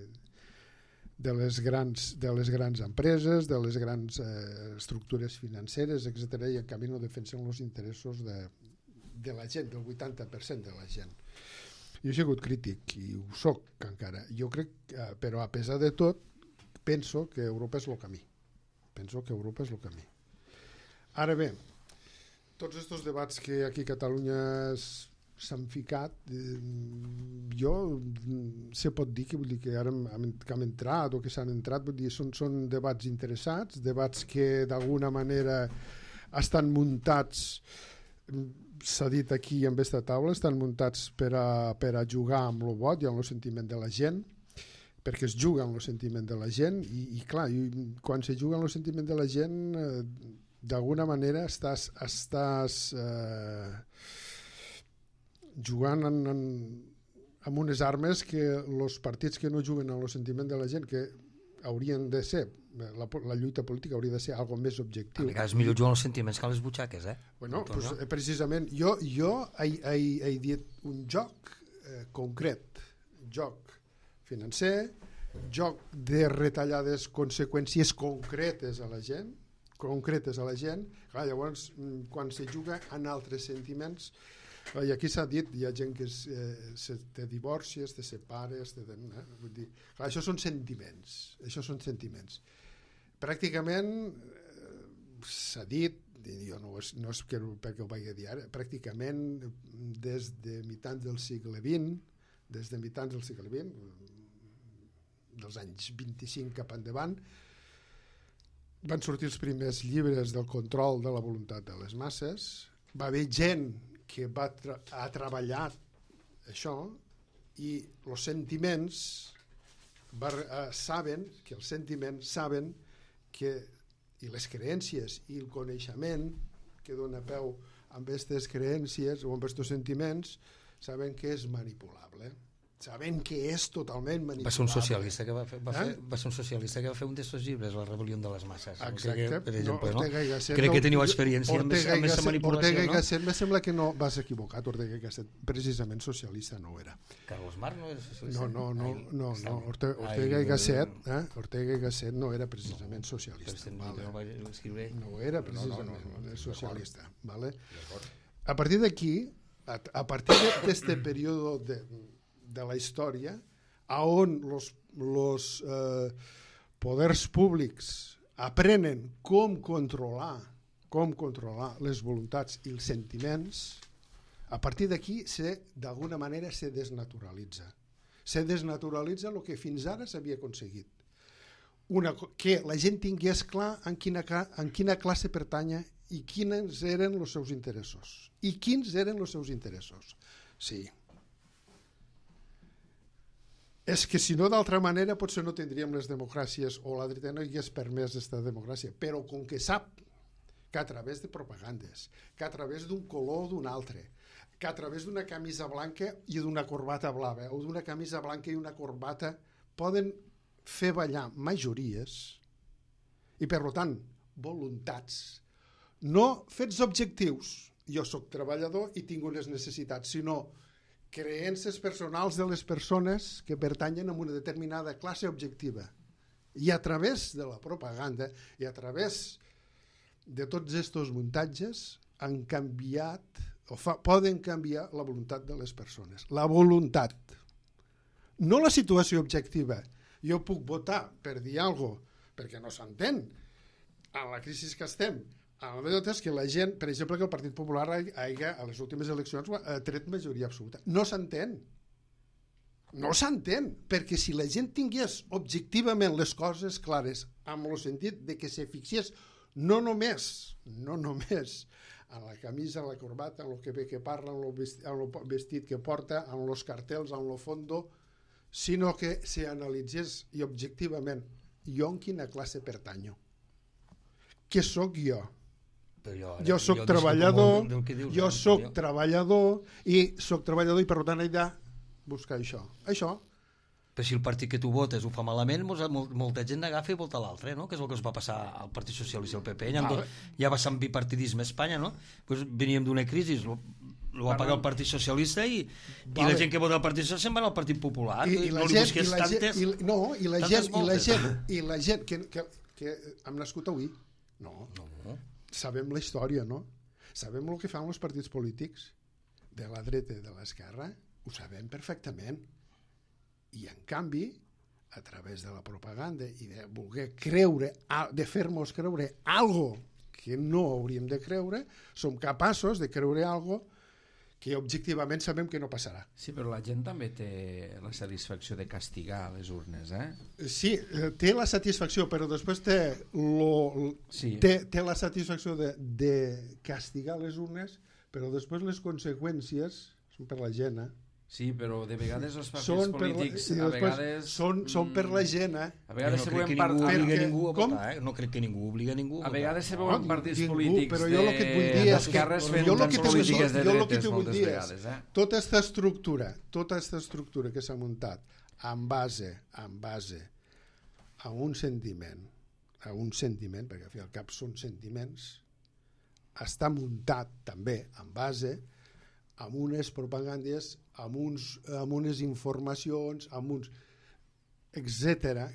de, les grans, de les grans empreses, de les grans eh, estructures financeres, etcètera, i en canvi no defensen els interessos de, de la gent, del vuitanta per cent de la gent. Jo he sigut crític i ho soc encara. Jo crec, eh, però a pesar de tot, penso que Europa és el camí. Penso que Europa és el camí. Ara bé, tots aquests debats que aquí a Catalunya s'han ficat, eh, jo se pot dir que, vull dir que ara hem, que hem entrat o que s'han entrat, vull dir, són, són debats interessats, debats que d'alguna manera estan muntats, s'ha dit aquí en aquesta taula, estan muntats per a, per a jugar amb el vot i amb el sentiment de la gent, perquè es juga amb el sentiment de la gent i, i clar, i quan se juga amb el sentiment de la gent, eh, d'alguna manera estàs, estàs eh, jugant en, en, amb unes armes que els partits que no juguen amb el sentiment de la gent, que haurien de ser, la, la lluita política hauria de ser algo més objectiu. A vegades millor juguen els sentiments que les butxaques, eh? Bueno, pues, eh, precisament, jo, jo he, he, he dit un joc eh, concret, joc financer, joc de retallades conseqüències concretes a la gent, concretes a la gent. Clar, llavors, quan se juga en altres sentiments, i aquí s'ha dit, hi ha gent que es, eh, se, te divorcies, te separes, te, eh? Vull dir, clar, això són sentiments, això són sentiments. Pràcticament eh, s'ha dit, jo no, és, no és que, perquè ho vaig dir ara, pràcticament des de mitjans del segle vint, des de mitjans del segle vint, dels anys vint-i-cinc cap endavant, van sortir els primers llibres del control de la voluntat de les masses, va haver gent que va tra ha treballat això, i els sentiments va, eh, saben que els sentiments saben que, i les creències i el coneixement que dona peu amb aquestes creències o amb aquests sentiments saben que és manipulable, saben que és totalment manipulable. Va ser un socialista que va fer, va eh? fer, va ser un socialista que va fer un d'aquests llibres, La rebel·lió de les masses. Exacte. Que, per exemple, no, no? Gasset, Crec no, que teniu experiència amb aquesta manipulació, Ortega i no? Gasset, me sembla que no vas equivocat. Ortega i Gasset precisament socialista no era. Carlos Marc no era socialista? No, no, no, Ai, no, està no. bé. Ortega, Ai, Ortega i no, Gasset, no. eh? Ortega i Gasset no era precisament No, socialista. però Vale. no vaig escriure. No era precisament no, no, no, no, socialista. Vale? A partir d'aquí, a, a partir d'aquest període de, de la història, a on els eh, poders públics aprenen com controlar com controlar les voluntats i els sentiments, a partir d'aquí d'alguna manera se desnaturalitza. Se desnaturalitza el que fins ara s'havia aconseguit. Una, que la gent tingués clar en quina, en quina classe pertanya i quins eren els seus interessos. I quins eren els seus interessos. Sí. És que si no d'altra manera potser no tindríem les democràcies o la dreta no hi hagués permès aquesta democràcia, però com que sap que a través de propagandes, que a través d'un color o d'un altre, que a través d'una camisa blanca i d'una corbata blava o d'una camisa blanca i una corbata poden fer ballar majories i per tant voluntats, no fets objectius, jo sóc treballador i tinc unes necessitats, sinó creences personals de les persones que pertanyen a una determinada classe objectiva. I a través de la propaganda i a través de tots aquests muntatges han canviat o fa, poden canviar la voluntat de les persones. La voluntat. No la situació objectiva. Jo puc votar per dir alguna cosa perquè no s'entén. En la crisi que estem, el que és que la gent, per exemple, que el Partit Popular hagi, a les últimes eleccions ha tret majoria absoluta. No s'entén. No s'entén, perquè si la gent tingués objectivament les coses clares, amb el sentit de que se fixés no només, no només en la camisa, en la corbata, en el que ve que parla, en el vestit, en el vestit que porta, en els cartells, en el fondo, sinó que se analitzés i objectivament jo en quina classe pertanyo. Què sóc jo? Jo, jo soc treballador, del, del dius, jo eh? soc jo. treballador i soc treballador i per tant he de buscar això. Això. Però si el partit que tu votes ho fa malament, molta, molta gent agafa i vota l'altre, no? Que és el que es va passar al Partit Socialista i al P P. Ja, vale. Ja va ser bipartidisme a Espanya, no? Pues veníem d'una crisi, lo, lo va pagar el Partit Socialista i, vale. I la gent que vota al Partit Socialista se'n va al Partit Popular. I, i la no gent, li busques i la tantes... Gent, i, no, i la gent, i la gent, i la gent que, que, que hem nascut avui, no. no. Sabem la història, no? Sabem el que fan els partits polítics de la dreta i de l'esquerra, ho sabem perfectament. I en canvi, a través de la propaganda i de voler creure, de fer-nos creure algo que no hauríem de creure, som capaços de creure algo que objectivament sabem que no passarà. Sí, però la gent també té la satisfacció de castigar les urnes, eh? Sí, té la satisfacció, però després té, lo, sí. té, té la satisfacció de, de castigar les urnes, però després les conseqüències són per la gent, eh? Sí, però de vegades els partits són per la, polítics i a després vegades... són, són per la gent, eh? A vegades no se crec veuen que part... ningú obliga Perquè- ningú a com? votar, eh? No crec que ningú obliga ningú a A votar. vegades se No, veuen partits ningú, polítics però jo el que et vull dir és que- d'esquerres fent jo el tants que te vull dir- polítiques de jo el que dretes te vull moltes dir és, vegades. Eh? tota aquesta estructura, tota aquesta estructura que s'ha muntat en base, en base a un sentiment, a un sentiment, perquè al fi al cap són sentiments, està muntat també en base amb unes propagandes, amb, uns, amb unes informacions, amb uns etcètera,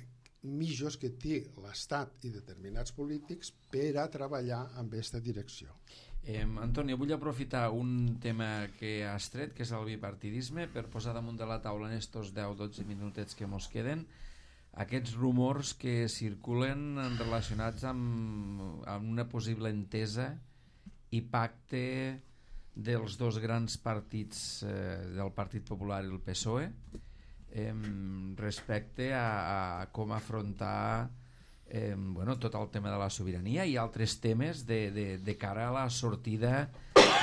mitjos que té l'Estat i determinats polítics per a treballar en aquesta direcció. Eh, Antoni, vull aprofitar un tema que has tret, que és el bipartidisme, per posar damunt de la taula en estos deu dotze minutets que mos queden aquests rumors que circulen relacionats amb, amb una possible entesa i pacte dels dos grans partits, eh, del Partit Popular i el P S O E, eh, respecte a, a com afrontar eh, bueno, tot el tema de la sobirania i altres temes de, de, de cara a la sortida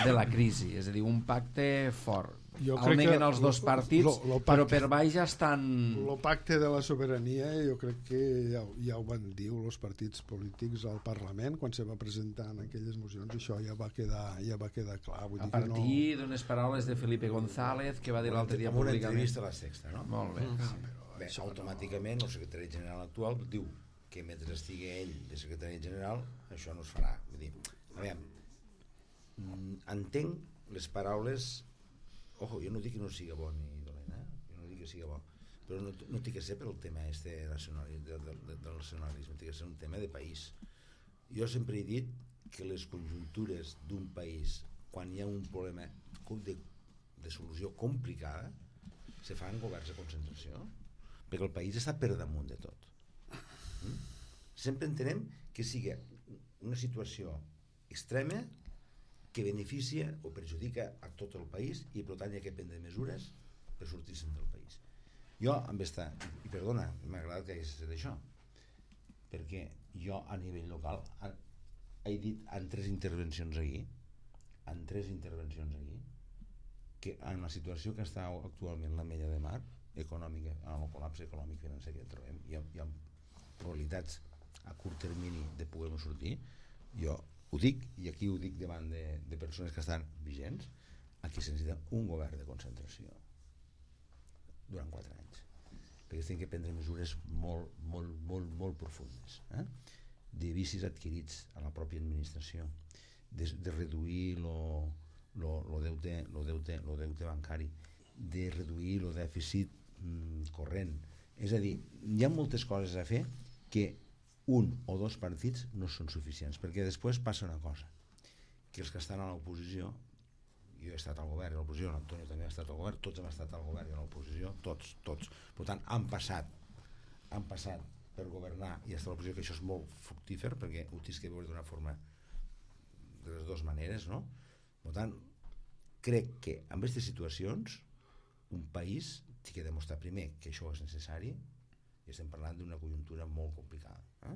de la crisi, és a dir, un pacte fort. Jo El crec neguen que els dos lo- partits, lo- lo pacte- però per baix ja estan... El pacte de la sobirania jo crec que ja, ja ho van dir els partits polítics al Parlament quan se va presentar en aquelles mocions, això ja va quedar, ja va quedar clar. Vull A dir que no... partir d'unes paraules de Felipe González, que va dir l'altre dia amb una públicament. entrevista a la Sexta, no? Molt bé. Bé, automàticament el secretari general actual diu que mentre estigui ell de secretari general això no es farà. Vull dir, a veure, mm, entenc les paraules. Ojo, jo no dic que no siga bo ni dolent, eh? Jo no dic que siga bo, però no, no té que ser per el tema este nacional, de, de, de, del nacionalisme, té que ser un tema de país. Jo sempre he dit que les conjuntures d'un país, quan hi ha un problema de, de solució complicada, se fan governs de concentració, perquè el país està per damunt de tot. Mm? Sempre entenem que sigui una situació extrema que beneficia o perjudica a tot el país i per tant hi ha que prendre mesures per sortir-se'n del país. Jo amb esta, i perdona, m'ha agradat que hagués fet això, perquè jo a nivell local he dit en tres intervencions aquí, en tres intervencions aquí, que en la situació que està actualment la Mella de Mar, econòmica, en el col·lapse econòmic financer que trobem, hi ha, hi ha probabilitats a curt termini de poder-ho sortir. Jo ho dic, i aquí ho dic davant de, de persones que estan vigents, aquí se necessita un govern de concentració durant quatre anys, perquè es tenen que prendre mesures molt, molt, molt, molt profundes, eh? De vicis adquirits a la pròpia administració, de, de reduir lo, lo, lo, deute, lo, deute, lo deute bancari, de reduir el dèficit mm, corrent. És a dir, hi ha moltes coses a fer que un o dos partits no són suficients, perquè després passa una cosa, que els que estan a l'oposició, jo he estat al govern i a l'oposició, l'Antonio també ha estat al govern, tots hem estat al govern i a l'oposició, tots, tots. Per tant, han passat, han passat per governar i estar a l'oposició, que això és molt fructífer, perquè ho tens que veure d'una forma de les dues maneres, no? Per tant, crec que en aquestes situacions un país té que demostrar primer que això és necessari, i estem parlant d'una conjuntura molt complicada. Eh?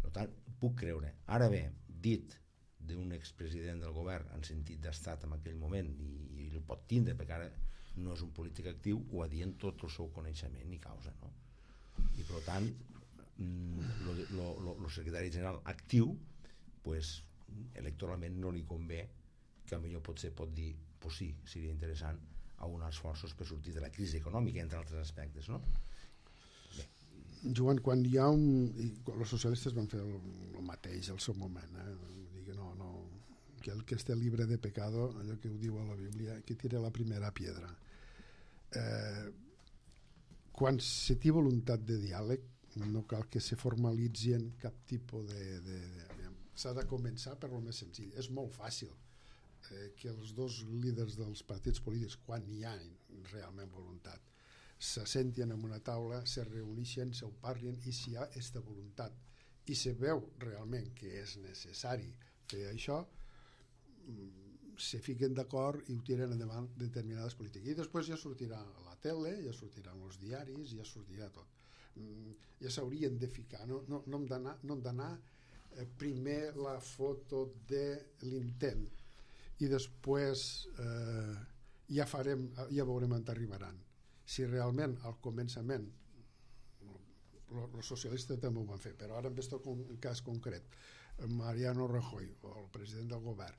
Per tant, puc creure. Ara bé, dit d'un expresident del govern en sentit d'estat en aquell moment, i, i el pot tindre, perquè ara no és un polític actiu, ho ha dit en tot el seu coneixement i causa. No? I per tant, el secretari general actiu, pues, electoralment no li convé, que potser potser pot dir, pues sí, seria interessant a uns esforços per sortir de la crisi econòmica, entre altres aspectes, no? Joan, quan hi ha un... I quan els socialistes van fer el, el mateix al seu moment, eh? Dir que no, no, que el que esté libre de pecado, allò que ho diu a la Bíblia, que tira la primera piedra. Eh, quan se té voluntat de diàleg, no cal que se formalitzi en cap tipus de... de, de s'ha de començar per lo més senzill. És molt fàcil eh, que els dos líders dels partits polítics, quan hi ha realment voluntat, se senten en una taula, se reuneixen, se ho parlen, i si hi ha aquesta voluntat i se veu realment que és necessari fer això, se fiquen d'acord i ho tiren endavant determinades polítiques. I després ja sortirà a la tele, ja sortiran els diaris, ja sortirà tot. Ja s'haurien de ficar, no, no, no hem d'anar no hem d'anar eh, primer la foto de l'intent i després eh, ja farem, ja veurem on arribaran. Si realment al començament els socialistes també ho van fer, però ara en aquest cas concret Mariano Rajoy o el president del govern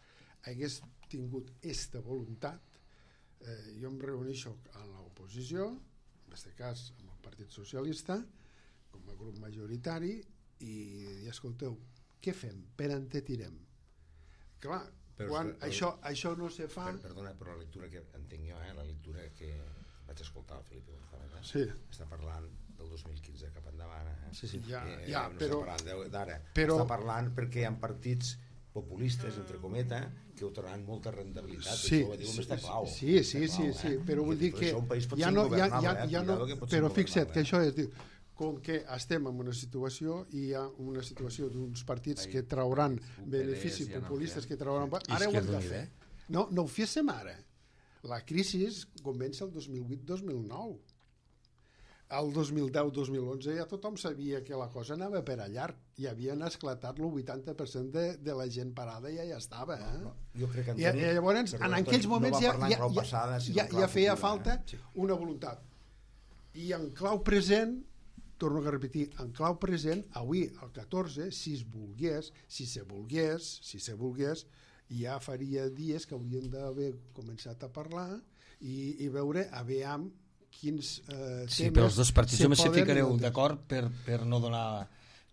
hagués tingut aquesta voluntat, eh, jo em reuneixo amb l'oposició, en aquest cas amb el Partit Socialista com a grup majoritari, i, i escolteu, què fem? Per on te tirem? Clar, però, quan però, això, això no se fa... Per, perdona, però la lectura que entenc jo, eh, la lectura que vaig escoltar el Felipe González, eh? Sí. Està parlant del dos mil quinze cap endavant, eh? Sí, sí. Ja, eh, ja, no però... està parlant d'ara, però... està parlant perquè hi ha partits populistes, entre cometa, que otorgaran molta rendibilitat, sí, això ho diu sí, està clau. Sí, sí, sí, clau, sí, eh? però vull dir que ja no, ja, ja, eh? ja no, que però fixa't que això és, diu, com que estem en una situació i hi ha una situació d'uns partits que trauran beneficis populistes, que trauran... Ara ho hem de fer. No, no ho féssim ara. La crisi comença el dos mil vuit dos mil nou. El dos mil deu dos mil onze ja tothom sabia que la cosa anava per allà, i havien esclatat el vuitanta per cent de, de la gent parada i ja, ja estava. Eh? No, no. Jo crec que I, I llavors, en aquells moments no ja, ja, ja, passada, ja, ja feia falta eh? una voluntat. I en clau present, torno a repetir, en clau present, avui, el catorze, si es volgués, si se volgués, si se volgués, ja faria dies que haurien d'haver començat a parlar i, i veure, aviam, quins eh, sí, però els dos partits només se ficareu d'acord per, per no donar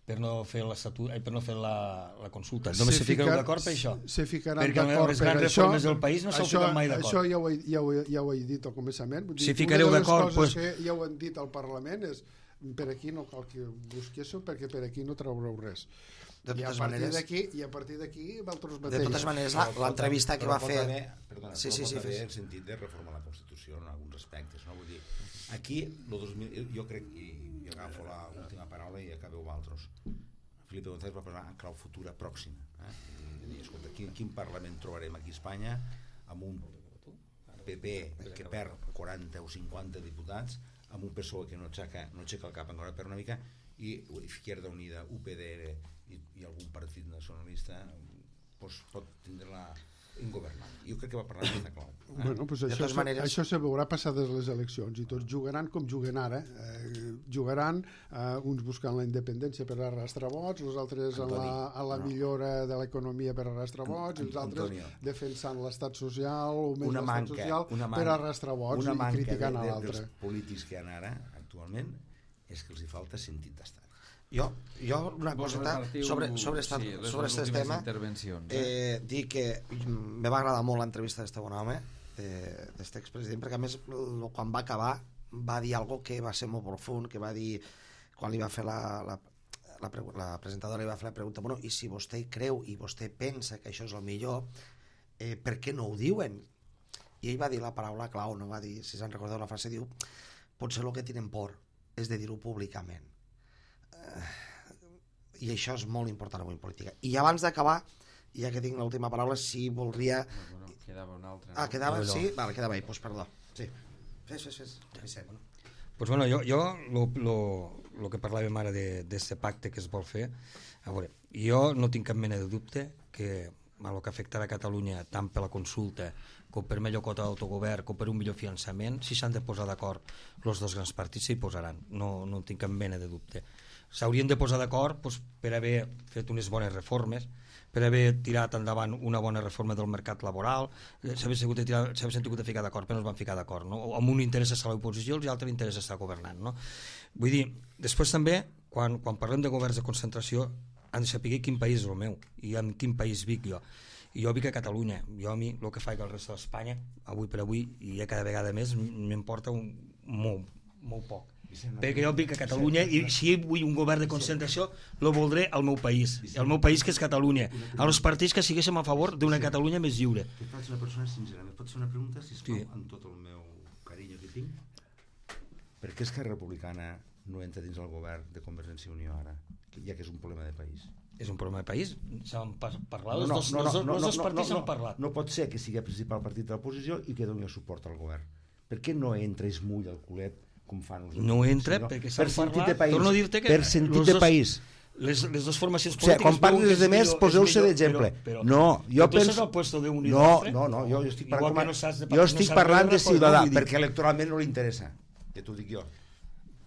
per no fer l'estatut, per no fer la, la consulta, només se, se ficareu d'acord per això, se ficaran perquè les grans reformes del país no s'ho fiquen mai d'acord. Això ja ho, he, ja, ho he, ja ho he dit al començament, vull dir, si ficareu d'acord, una de les coses pues... que ja ho han dit al Parlament és per aquí no cal que busquéssiu perquè per aquí no traureu res. De I a partir d'aquí i a partir d'aquí vosaltres mateixos. De totes maneres, l'entrevista que va fer... Perdona, sí, sí, sí, però pot haver el sentit de reformar la Constitució en alguns aspectes, no? Vull dir, aquí, el dos mil, jo crec, i, i agafo l'última paraula i acabeu vosaltres, Felipe González va parlar en clau futura pròxima. Eh? I, i, escolta, quin, quin Parlament trobarem aquí a Espanya amb un P P que perd quaranta o cinquanta diputats, amb un P S O E que no aixeca, no aixeca el cap encara per una mica, i Izquierda Unida, U P D R i, i algun partit nacionalista pues, pot tindre la ingovernable. Jo crec que va parlar d'aquesta clau. Eh? Bueno, pues això, se, maneres... això se veurà passades les eleccions i tots jugaran com juguen ara. Eh, jugaran eh, uns buscant la independència per arrastrar vots, els altres Antoni, en la, a la no. millora de l'economia per arrastrar vots, i els altres Antonio, defensant l'estat social o més l'estat social manca, per arrastrar vots i criticant a l'altre. Dels polítics que hi ha ara, actualment, és que els hi falta sentit d'estat. Jo, jo una coseta sobre, sobre aquest sí, sobre tema eh? Eh, dir que me va agradar molt l'entrevista d'este bon home, d'este expresident, perquè a més quan va acabar va dir algo que va ser molt profund, que va dir quan li va fer la, la, la, la presentadora li va fer la pregunta, bueno, i si vostè creu i vostè pensa que això és el millor, eh, per què no ho diuen? I ell va dir la paraula clau, no va dir, si se'n recordeu la frase, diu, potser el que tenen por és de dir-ho públicament. I això és molt important avui en política. I abans d'acabar, ja que tinc l'última paraula, si voldria... Bueno, quedava una altra. Ah, quedava? Sí? Vale, quedava ahí, pues perdó. Sí. Fes, fes, fes. fes. Pues bueno, jo, jo lo, lo, lo que parlàvem ara d'aquest pacte que es vol fer, a veure, jo no tinc cap mena de dubte que el que afectarà a Catalunya tant per la consulta com per millor quota d'autogovern com per un millor finançament, si s'han de posar d'acord els dos grans partits s'hi posaran, no, no tinc cap mena de dubte. S'haurien de posar d'acord doncs, per haver fet unes bones reformes, per haver tirat endavant una bona reforma del mercat laboral, s'havia sentit de ficar d'acord, però no es van ficar d'acord, no? Amb un interès estar a l'oposició i l'altre interès estar governant, no? Vull dir, després també, quan, quan parlem de governs de concentració, han de saber quin país és el meu i en quin país vic jo. I jo vic a Catalunya, jo a mi el que faig al resta d'Espanya, avui per avui, i ja cada vegada més, m'importa molt, molt poc. Perquè jo vic a Catalunya i si vull un govern de concentració lo voldré al meu país, el meu país que és Catalunya, als partits que siguéssim a favor d'una Catalunya més lliure. Tu faig una persona sincera, em pots fer una pregunta, sisplau, sí. Amb tot el meu carinyo que tinc? Per què Esquerra Republicana no entra dins el govern de Convergència i Unió ara, ja que és un problema de país? És un problema de país? S'han parlat? No, no, els dos, no, no, els no, dos no, partits no, han parlat. No pot ser que sigui el principal partit de l'oposició i que doni el suport al govern. Per què no entra i es mulla el culet com fan els no entra sinó, perquè s'han per parlat, país, torno a dir-te que per sentit de dos, país les, les dues formacions O sigui, polítiques... quan parli dels demés, poseu-se d'exemple. No, jo tu penso... estàs al puesto d'un i No, l'altre? no, no, jo, jo estic parlant, Igual que com a- no saps de jo no estic saps parlant de veure, Ciutadà, doncs, vull dir. perquè electoralment no li interessa. Ja t'ho dic jo.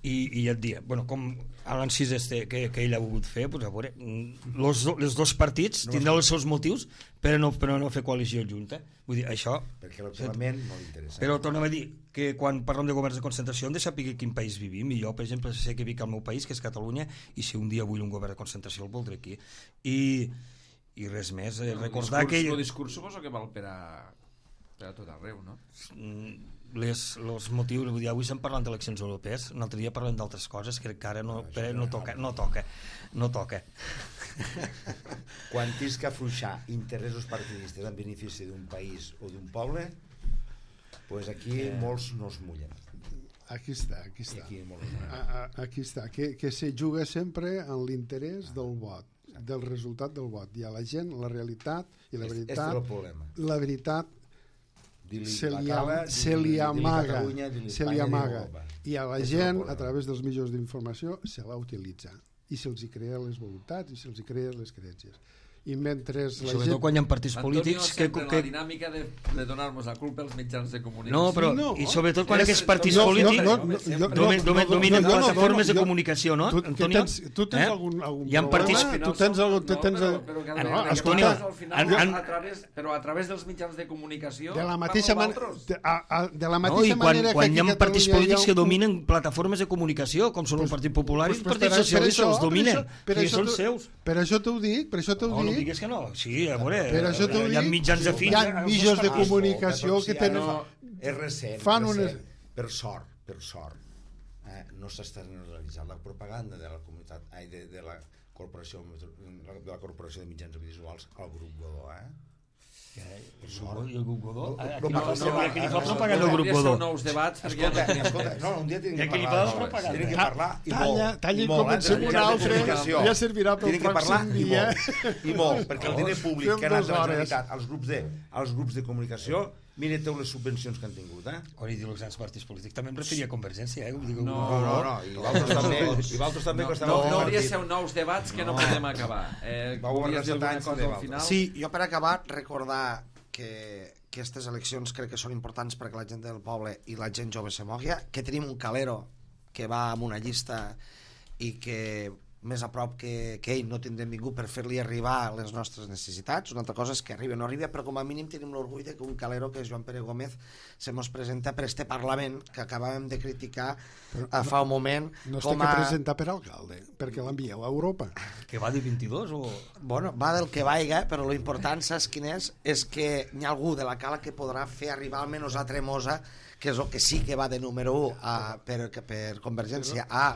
I, i ja et dia, bueno, com l'encís este que, que ell ha volgut fer, pues, a veure, mm, los, do- els dos partits No, tindran els seus motius per no, per no fer coalició junta. Vull dir, això... Perquè electoralment no li interessa. Però tornem a dir que quan parlem de governs de concentració hem de saber quin país vivim, i jo, per exemple, sé que vic al meu país, que és Catalunya, i si un dia vull un govern de concentració el voldré aquí. I, i res més, eh, recordar el discurs, que... El discurs suposo que val per a, per a tot arreu, no? Mm, les, els motius, vull dir, avui estem parlant d'eleccions europees, un altre dia parlem d'altres coses que encara no, no, no toca, no toca, no toca. Quan tens que afluixar interessos partidistes en benefici d'un país o d'un poble, pues aquí eh. molts no es mullen. Aquí està, aquí I està. aquí molts no es mullen. A, a, aquí està, que, que se juga sempre en l'interès del vot, del resultat del vot. I a la gent la realitat i la Este és veritat, el problema. la veritat Dir-li se la li, cala, am- se dir-li- li dir-li amaga, Catalunya, dir-li se li Espanya, dir-li amaga. Europa. I a la És el gent, problema. a través dels mitjans d'informació, se la utilitza. I se'ls hi crea les voluntats i se'ls hi crea les creences. I mentre la Sobretot gent... quan hi ha partits Antonio polítics que, sempre que, la dinàmica de, de donar-nos la culpa als mitjans de comunicació. no, però, Sí, no. i sobretot quan És- aquests partits no, no, polítics no, no, jo- domen, no, domen, no, dominen no, no, no, plataformes de jo- comunicació, no, Tu, tu Antonio? tens, tu tens Eh? algun, algun Hi ha partits- problema? Tu tens algun... Tu tens, no, però, però cada no, vegada que Antonio, parles al final, han- han- a través, però a través dels mitjans de comunicació de la mateixa, man, parlo de, a, a, de la No, mateixa i quan, manera quan que hi ha aquí a partits Catalunya polítics hi ha que un- dominen plataformes de comunicació, com són el Partit Popular i el pues Partit per- per Socialista, això- els dominen, per i això són t'ho- seus. Per això t'ho dic, per això t'ho No, no dic. digues que no. Sí, a veure, Per això t'ho hi ha dic, mitjans hi afins. ha mitjans de Ah, comunicació Escolta, que però si tenen... ara és recent, fan recent. unes- Per sort, per sort, eh, no s'està realitzant la propaganda de la comunitat, ai, de, de la corporació de la corporació de mitjans audiovisuals al grup Godó, eh? Per sort. I el grup Godó? No, Aquí no, no, no, no, no, aquí li no, fa no, propaganda no, al grup Podria ser Godó. nous debats, perquè Escolta, escolta, no, un dia I tenim que aquí li parlar fa d'això, propaganda. tenim que parlar i Talla, molt. talla i i molt, comencem eh, un de altre, comunicació. ja servirà pel Tenim que parlar pròxim i dia. molt, i molt, perquè el diner públic Fem que ha anat dues de la hores. Generalitat als grups de, als grups de comunicació, mireu les subvencions que han tingut, eh? Quan he dit els grans partits polítics, també em referia a Convergència, eh? Dic, No, No, no, no, i vosaltres també, i vosaltres també No, que esteu no, al no hauria de partit. ser nous debats que no, No. podem acabar. Eh, Vau volies dir arrasar alguna tants cosa de al Valls. final? Sí, jo per acabar recordar que aquestes eleccions crec que són importants perquè la gent del poble i la gent jove se mogui, que tenim un calero que va amb una llista i que més a prop que, que ell no tindrem ningú per fer-li arribar les nostres necessitats. Una altra cosa és que arribi o no arribi, però com a mínim tenim l'orgull de que un calero que és Joan Pere Gómez se mos presenta per este Parlament que acabàvem de criticar Però a fa un moment No es té com que a... presentar per alcalde, perquè l'envieu a Europa. que va de vint-i-dos o... Bueno, va del que vaiga, però lo important, saps quin és? És que hi ha algú de la cala que podrà fer arribar almenys a Tremosa, que és el que sí que va de número u a, per, per Convergència a,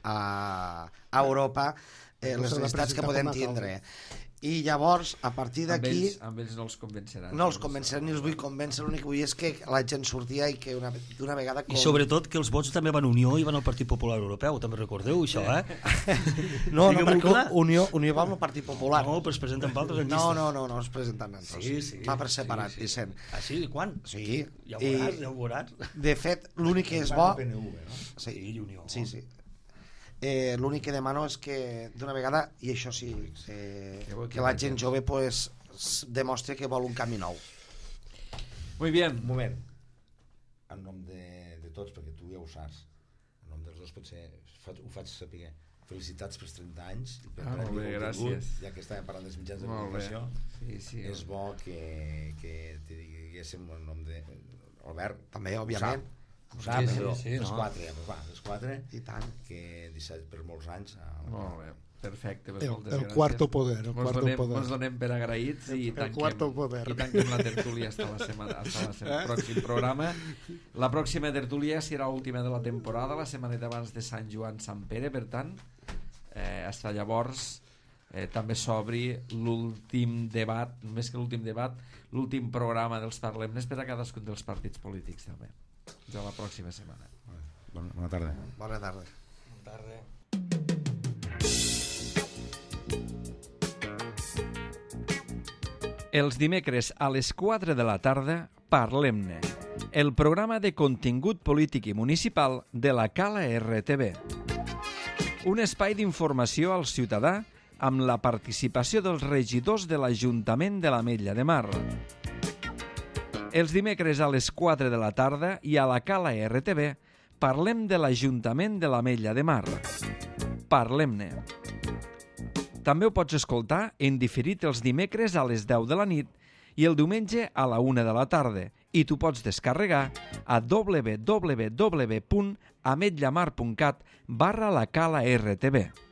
a, a Europa, eh, No les s'ha de necessitats que presentar podem com a tindre. I llavors, a partir Amb d'aquí... ells, amb ells no els convenceràs. No els convenceré ni els vull convèncer, l'únic que vull és que la gent sortia i que una, d'una vegada... I sobretot que els vots també van a Unió i van al Partit Popular Europeu, també recordeu això, eh? No, no, Digue'm-ho perquè clar. Unió, Unió va amb el Partit Popular. No, però es presenten per altres en No, llistes. no, no, no es presenten altres. Sí, sí. Va per separat, sí, sí. Vicent. Ah, sí? Quan? Sí. Ja ho veuràs, I, ja ho veuràs. de fet, l'únic que és bo... P N V, no? Sí, Sí, Unió. sí, sí. Eh, l'únic que demano és que d'una vegada, i això sí, eh, Que bo que que la vagi. gent jove pues, s- demostri que vol un camí nou. Muy bien. Un moment, en nom de, de tots, perquè tu ja ho saps, en nom dels dos potser fa- ho faig saber. Felicitats pels trenta anys i per Ah, Premi molt bé, Contingut, gràcies. ja que estàvem parlant dels mitjans de Molt bé. comunicació. Sí, sí. És bo que, que te diguéssim el nom de Albert. També, òbviament. Ho sap, Sí, sí, però sí, les no. quatre, ja, però va, les quatre, I tant. que disset per molts anys. A la Molt bé. Perfecte, pues El, moltes el gràcies. cuarto poder, el Mos cuarto donem, poder. mos donem per agraïts i El tanquem, cuarto poder. i tanquem la tertúlia hasta la setmana, hasta la setmana, Eh? pròxim programa. La pròxima tertúlia serà l'última de la temporada, la setmaneta abans de Sant Joan Sant Pere, per tant, eh, hasta llavors eh, també s'obri l'últim debat, més que l'últim debat, l'últim programa dels Parlemnes per a cadascun dels partits polítics també. De la pròxima setmana. Bona, bona tarda. Bona tarda. Bona tarda. Els dimecres a les quatre de la tarda, Parlem-ne, el programa de contingut polític i municipal de la Cala R T V. un espai d'informació al ciutadà amb la participació dels regidors de l'Ajuntament de l'Ametlla de Mar. Els dimecres a les quatre de la tarda i a la Cala R T V parlem de l'Ajuntament de l'Ametlla de Mar. Parlem-ne. També ho pots escoltar en diferit els dimecres a les deu de la nit i el diumenge a la una de la tarda, i tu pots descarregar a w w w punt ametlamar punt cat barra la Cala R T V.